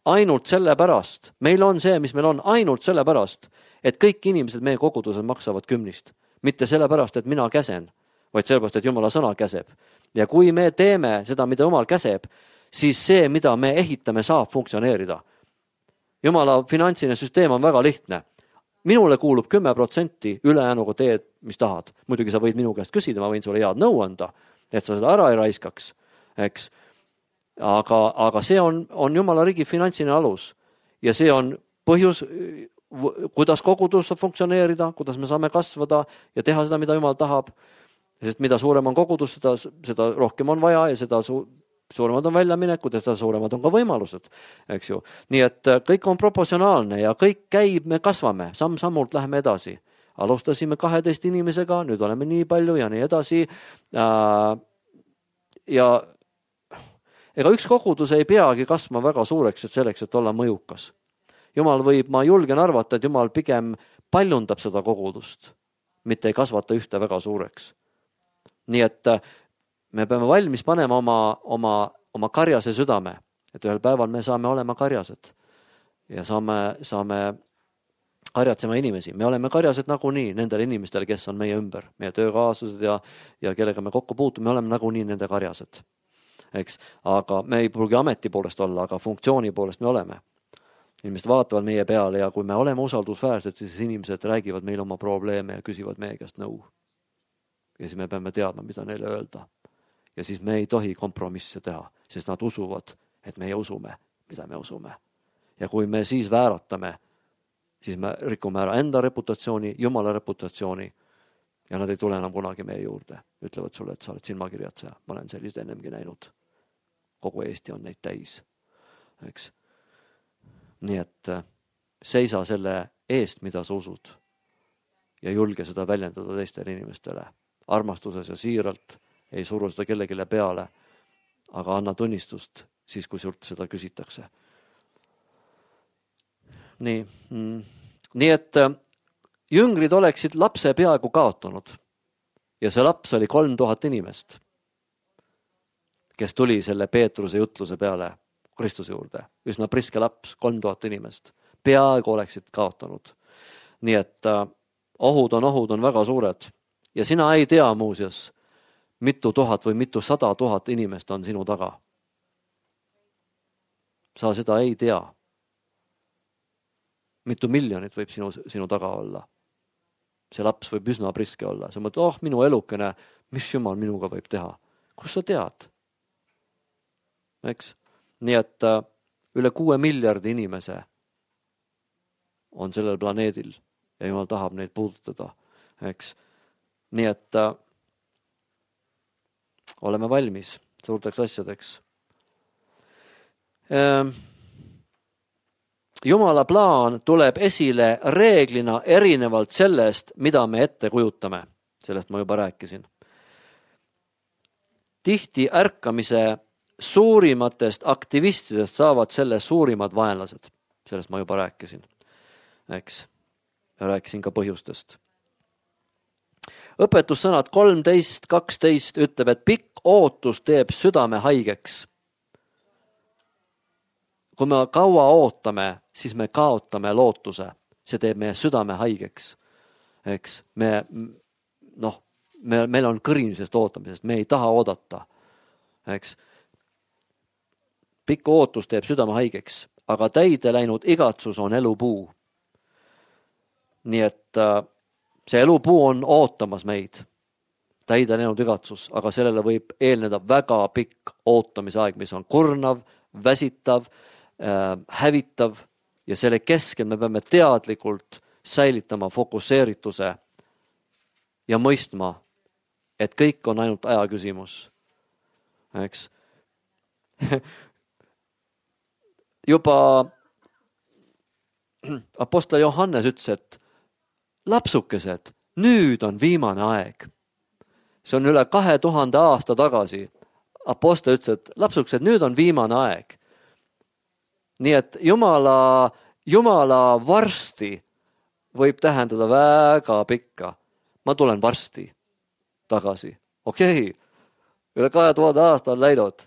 Ainult sellepärast, meil on see, mis meil on, ainult sellepärast, et kõik inimesed meie kogudused maksavad kümnist. Mitte sellepärast, et mina käsen, vaid sellepärast, et Jumala sõna käseb. Ja kui me teeme seda, mida Jumal käseb, siis see, mida me ehitame, saab funktsioneerida. Jumala finantsiline süsteem on väga lihtne. Minule kuulub kümme protsenti, ülejäänuga teed, mis tahad. Muidugi sa võid minu käest küsida, ma võin sulle head nõu anda, et sa seda ära ei raiskaks. Eks. Aga, aga see on, on Jumala riigi finantsiline alus. Ja see on põhjus, kuidas kogudus saab funktsioneerida, kuidas me saame kasvada ja teha seda, mida Jumal tahab. Sest mida suurem on kogudus, seda, seda rohkem on vaja ja seda su, suuremad on väljaminekud ja seda suuremad on ka võimalused. Eks ju. Nii et kõik on proportsionaalne ja kõik käib, me kasvame, samm-sammult läheme edasi. Alustasime kaheteist inimesega, nüüd oleme nii palju ja nii edasi. Ja ega üks kogudus ei peagi kasvama väga suureks, et selleks, et olla mõjukas. Jumal võib, ma julgen arvata, et Jumal pigem paljundab seda kogudust, mitte ei kasvata ühte väga suureks. Nii et me peame valmis panema oma, oma, oma karjase südame, et ühel päeval me saame olema karjased ja saame, saame karjatsema inimesi. Me oleme karjased nagunii nendele inimestele, kes on meie ümber, meie töökaaslased ja, ja kellega me kokku puutume, me oleme nagunii nende karjased. Eks? Aga me ei pruugi ameti poolest olla, aga funktsiooni poolest me oleme. Inimesed vaatavad meie peale ja kui me oleme usaldusväärsed, siis inimesed räägivad meile oma probleeme ja küsivad meie käest nõu. Ja siis me peame teadma, mida neile öelda. Ja siis me ei tohi kompromisse teha, sest nad usuvad, et meie usume, mida me usume. Ja kui me siis vääratame, siis me rikume ära enda reputatsiooni, Jumala reputatsiooni ja nad ei tule enam kunagi meie juurde. Ütlevad sulle, et sa oled silmakirjatseja. Ma olen sellist ennemgi näinud. Kogu Eesti on neid täis. Eks? Nii et seisa selle eest, mida sa usud ja julge seda väljendada teistele inimestele. Armastuses ja siiralt ei suru seda kellegile peale, aga anna tunnistust siis, kui sult seda küsitakse. Nii, nii et jüngrid oleksid lapse peaaegu kaotanud ja see laps oli kolm tuhat inimest, kes tuli selle Peetruse jutluse peale Kristuse juurde. Üsna priske laps, kolm tuhat inimest. Peaaegu oleksid kaotanud. Nii et ohud on, ohud on väga suured. Ja sina ei tea muuseas, mitu tuhat või mitu sada tuhat inimest on sinu taga. Sa seda ei tea. Mitu miljonit võib sinu, sinu taga olla. See laps võib üsna priske olla. Sa mõtled, oh, minu elukene, mis Jumal minuga võib teha? Kus sa tead? Eks? Nii et üle kuue miljardi inimese on sellel planeedil ja Jumal tahab neid puudutada. Eks? Nii et äh, oleme valmis suurteks asjadeks. Ähm, Jumala plaan tuleb esile reeglina erinevalt sellest, mida me ette kujutame. Sellest ma juba rääkisin. Tihti ärkamise suurimatest aktivistidest saavad selle suurimad vaenlased. Sellest ma juba rääkisin. Eks? Ja rääkisin ka põhjustest. Õpetussõnad kolmteist kaksteist ütleb, et pikk ootus teeb südame haigeks. Kui me kaua ootame, siis me kaotame lootuse. See teeb meie südame haigeks. Eks? Me, noh, me, meil on kõrin sellest ootamisest. Me ei taha oodata. Eks? Pikk ootus teeb südame haigeks, aga täide läinud igatsus on elupuu. nii et see elupuu on ootamas meid, täide läinud igatsus, aga sellele võib eelneda väga pikk ootamise aeg, mis on kurnav, väsitav, hävitav ja selle keskel me peame teadlikult säilitama fokusseerituse ja mõistma, et kõik on ainult aja küsimus. Eks? Juba apostel Johannes ütles, et lapsukesed, nüüd on viimane aeg. See on üle kahe tuhande aasta tagasi. Apostel ütles, et lapsukesed, nüüd on viimane aeg. Nii et Jumala, Jumala varsti võib tähendada väga pikka. Ma tulen varsti tagasi. Okei, üle kahe tuhande aasta on läinud.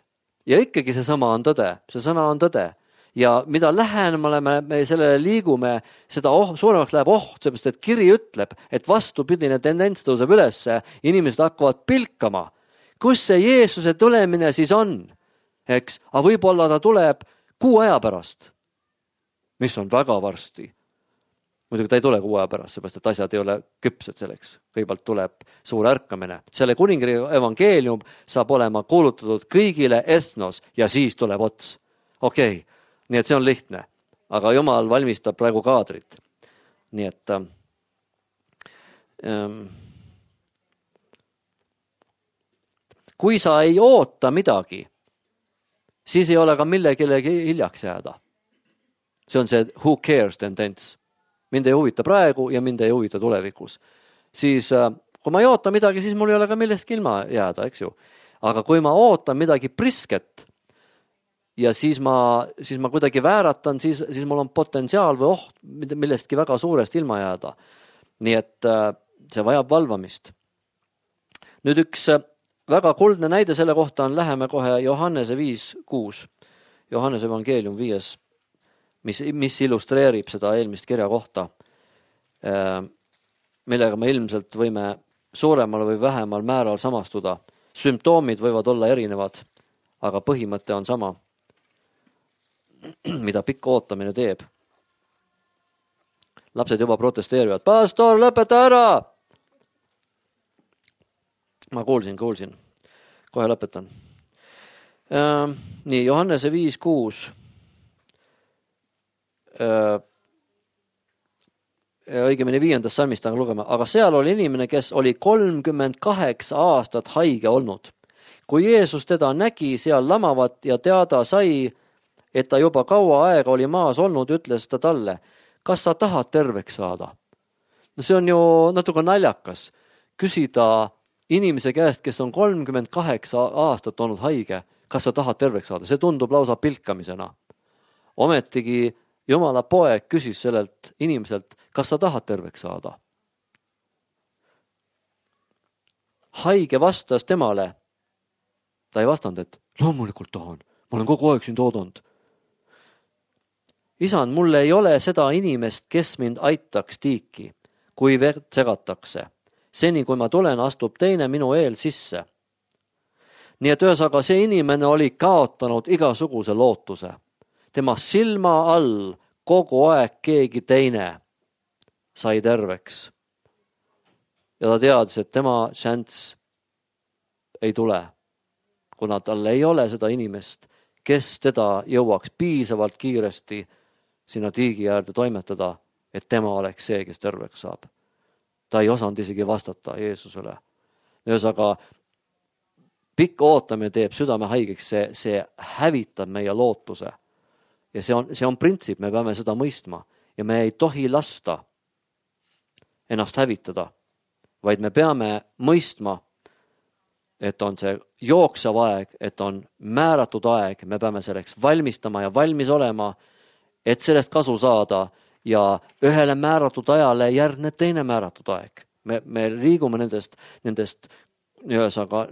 Ja ikkagi see sama on tõde. See sõna on tõde. Ja mida lähemale me, me sellele liigume, seda oh, suuremaks läheb oht, seepärast et kiri ütleb, et vastupidine tendents tõuseb ülesse, inimesed hakkavad pilkama. Kus see Jeesuse tulemine siis on? Eks? Aga võib-olla ta tuleb kuu aja pärast, mis on väga varsti. Muidugi ta ei tule kuu aja pärast, seepärast et asjad ei ole küpsed selleks. Kõigepealt tuleb suur ärkamine. Selle kuningri evangeelium saab olema kuulutatud kõigile ethnos ja siis tuleb ots. Okei, okay. Nii et see on lihtne, aga Jumal valmistab praegu kaadrit. Nii et ähm, kui sa ei oota midagi, siis ei ole ka millegilegi hiljaks jääda. See on see who cares tendents. Mind ei huvita praegu ja mind ei huvita tulevikus. Siis äh, kui ma ei oota midagi, siis mul ei ole ka millestki ilma jääda, eks ju. Aga kui ma ootan midagi prisket, ja siis ma, siis ma kuidagi vääratan, siis, siis mul on potentsiaal või oht millestki väga suurest ilma jääda. Nii et see vajab valvamist. Nüüd üks väga kuldne näide selle kohta on, läheme kohe Johannese viis kuus. Johannese evangeelium viies, mis, mis illustreerib seda eelmist kirja kohta, millega me ilmselt võime suuremal või vähemal määral samastuda. Sümptoomid võivad olla erinevad, aga põhimõte on sama. Mida pikk ootamine teeb. Lapsed juba protesteerivad. Pastor, lõpeta ära! Ma kuulsin, kuulsin. Kohe lõpetan. Äh, nii, Johannese viis kuus. Äh, õigemini viiendast salmist on lugema. Aga seal oli inimene, kes oli kolmkümmend kaheksa aastat haige olnud. Kui Jeesus teda nägi seal lamavat ja teada sai, et ta juba kaua aega oli maas olnud, ütles ta talle, kas sa tahad terveks saada? No see on ju natuke naljakas. Küsida inimese käest, kes on kolmkümmend kaheksa aastat olnud haige, kas sa tahad terveks saada? See tundub lausa pilkamisena. Ometigi Jumala poeg küsis sellelt inimeselt, kas sa tahad terveks saada? Haige vastas temale. Ta ei vastanud, et loomulikult tahan. Ma olen kogu aeg siin toodanud. Isand, mulle ei ole seda inimest, kes mind aitaks tiiki, kui verd segatakse. Seni, kui ma tulen, astub teine minu eel sisse. Nii et ühesaga see inimene oli kaotanud igasuguse lootuse. Tema silma all kogu aeg keegi teine sai terveks. Ja ta teadis, et tema šanss ei tule, kuna tal ei ole seda inimest, kes teda jõuaks piisavalt kiiresti sinna tiigi äärde toimetada, et tema oleks see, kes terveks saab. Ta ei osanud isegi vastata Jeesusele. Ühesaga, pikk ootamine teeb südame haigeks, see, see hävitab meie lootuse. Ja see on, see on printsiip, me peame seda mõistma. Ja me ei tohi lasta ennast hävitada, vaid me peame mõistma, et on see jooksev aeg, et on määratud aeg, me peame selleks valmistama ja valmis olema, et sellest kasu saada ja ühele määratud ajale järgneb teine määratud aeg. Me, me liigume nendest, nendest, ühesaga,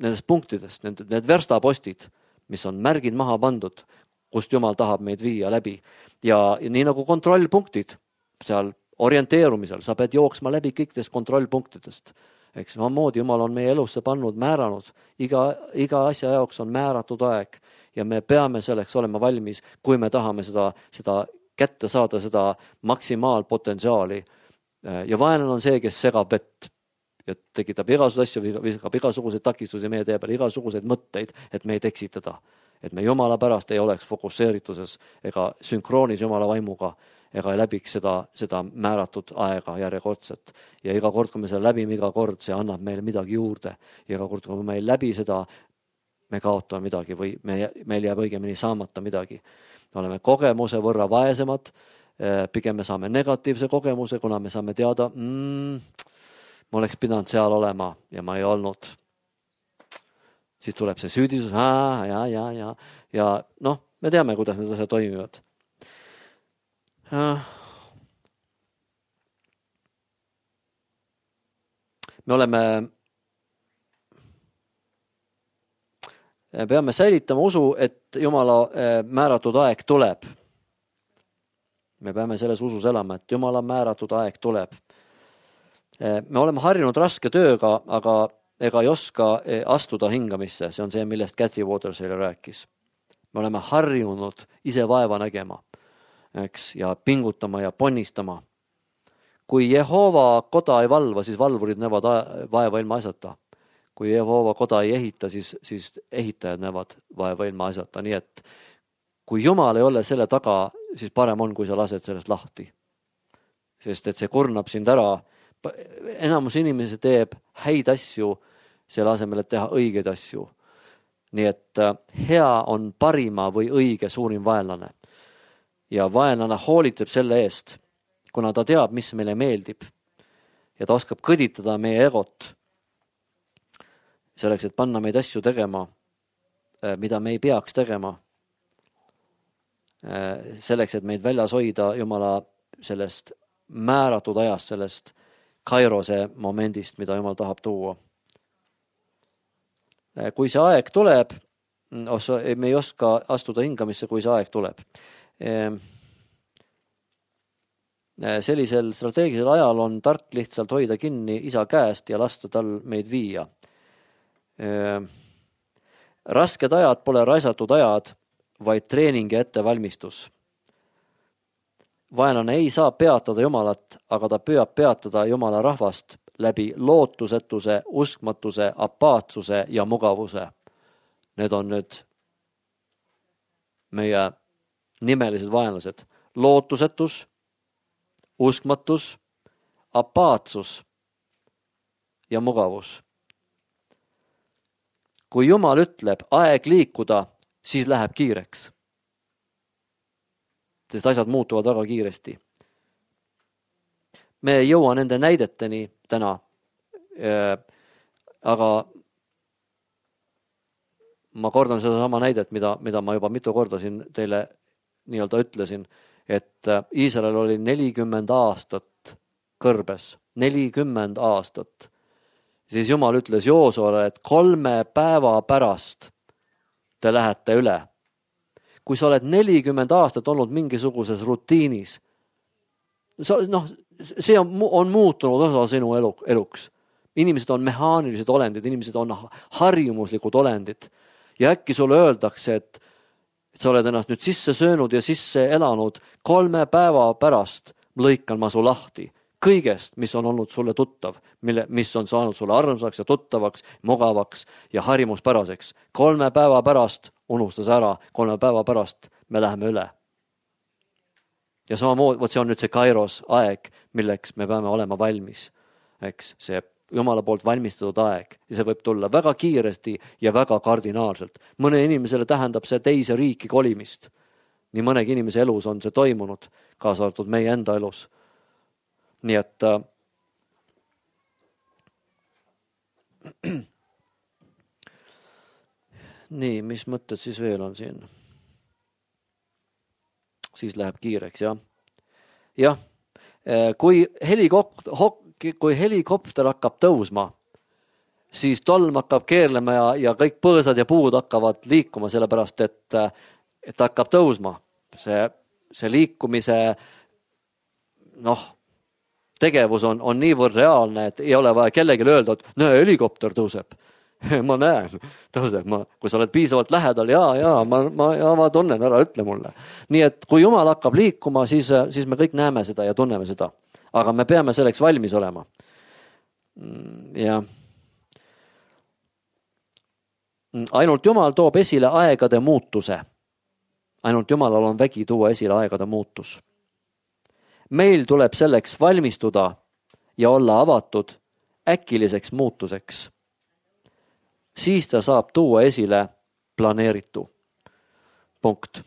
nendest punktidest, need, need verstapostid, mis on märgid maha pandud, kust Jumal tahab meid viia läbi. Ja, ja nii nagu kontrollpunktid seal orienteerumisel, sa pead jooksma läbi kõikidest kontrollpunktidest. Eks samamoodi Jumal on meie elusse pannud, määranud. Iga, iga asja jaoks on määratud aeg ja me peame selleks olema valmis, kui me tahame seda, seda kätte saada, seda maksimaalpotentsiaali Ja vaenlane on see, kes segab vett ja tekitab igasuguseid asju, viskab igasuguseid takistusi meie tee peale, igasuguseid mõtteid, et me ei eksitada. Et me Jumala pärast ei oleks fokusseerituses ega sünkroonis Jumala vaimuga ega ei läbiks seda, seda määratud aega järjekordset. Ja iga kord, kui me selle läbime, iga kord see annab meile midagi juurde. Ja iga kord, kui me ei läbi seda, me kaotame midagi või me, meil jääb õigemini saamata midagi. Me oleme kogemuse võrra vaesemad, pigem me saame negatiivse kogemuse, kuna me saame teada, mm, ma oleks pidanud seal olema ja ma ei olnud. Siis tuleb see süüdisus, aa, ja, ja, ja, ja noh, me teame, kuidas need asjad toimivad. Me oleme, peame säilitama usu, et Jumala määratud aeg tuleb. Me peame selles usus elama, et Jumala määratud aeg tuleb. Me oleme harjunud raske tööga, aga ega ei oska astuda hingamisse. See on see, millest Kathy Watersale rääkis. Me oleme harjunud ise vaeva nägema, eks, ja pingutama ja ponnistama. Kui Jehova koda ei valva, siis valvurid näevad vaeva ilma asjata. Kui Jehova koda ei ehita, siis, siis ehitajad näevad vaeva ilma asjata. Nii et kui Jumal ei ole selle taga, siis parem on, kui sa lased sellest lahti. Sest et see kurnab sind ära. Enamus inimesi teeb häid asju selle asemel, et teha õigeid asju. Nii et hea on parima või õige suurim vaenlane. Ja vaenlane hoolitab selle eest, kuna ta teab, mis meile meeldib. Ja ta oskab kõditada meie egot. Selleks, et panna meid asju tegema, mida me ei peaks tegema. Selleks, et meid väljas hoida Jumala sellest määratud ajast, sellest kairose momendist, mida Jumal tahab tuua. Kui see aeg tuleb, me ei oska astuda hingamisse, kui see aeg tuleb. Sellisel strateegilisel ajal on tark lihtsalt hoida kinni isa käest ja lasta tal meid viia. Rasked ajad pole raisatud ajad, vaid treening ja ettevalmistus. Vaenlane ei saa peatada Jumalat, aga ta püüab peatada Jumala rahvast läbi lootusetuse, uskmatuse, apaatsuse ja mugavuse. Need on nüüd meie nimelised vaenlased. Lootusetus, uskmatus, apaatsus ja mugavus. Kui Jumal ütleb aeg liikuda, siis läheb kiireks. Sest asjad muutuvad väga kiiresti. Me ei jõua nende näideteni täna, aga ma kordan seda sama näidet, mida, mida ma juba mitu korda siin teile nii-öelda ütlesin, et Iisrael oli nelikümmend aastat kõrbes, nelikümmend aastat. Siis Jumal ütles Joosuale, et kolme päeva pärast te lähete üle. Kui sa oled nelikümmend aastat olnud mingisuguses rutiinis, noh, see on, on muutunud osa sinu elu, eluks. Inimesed on mehaanilised olendid, inimesed on harjumuslikud olendid. Ja äkki sulle öeldakse, et, et sa oled ennast nüüd sisse söönud ja sisse elanud, kolme päeva pärast lõikan ma su lahti. Kõigest, mis on olnud sulle tuttav, mille, mis on saanud sulle armsaks ja tuttavaks, mugavaks ja harjumuspäraseks. Kolme päeva pärast unustas ära, kolme päeva pärast me läheme üle. Ja samamoodi, vot see on nüüd see kairos aeg, milleks me peame olema valmis. Eks see Jumala poolt valmistatud aeg. Ja see võib tulla väga kiiresti ja väga kardinaalselt. Mõne inimesele tähendab see teise riiki kolimist. Nii mõnegi inimese elus on see toimunud, kaasa arvatud meie enda elus. Nii et äh, nii, mis mõtted siis veel on siin? Siis läheb kiireks, jah. Jah, kui helikopter, kui helikopter hakkab tõusma, siis tolm hakkab keerlema ja, ja kõik põõsad ja puud hakkavad liikuma, sellepärast et, et hakkab tõusma. See, see liikumise noh, tegevus on, on niivõrd reaalne, et ei ole vaja kellelegi öelda, et näe, helikopter tõuseb. ma näen, tõuseb, ma, kui sa oled piisavalt lähedal, jaa, jaa, ma, ma, ja ma tunnen, ära ütle mulle. Nii et kui Jumal hakkab liikuma, siis, siis me kõik näeme seda ja tunneme seda. Aga me peame selleks valmis olema. Ja ainult Jumal toob esile aegade muutuse. Ainult Jumalal on vägi tuua esile aegade muutus. Meil tuleb selleks valmistuda ja olla avatud äkiliseks muutuseks. Siis ta saab tuua esile planeeritu. Punkt.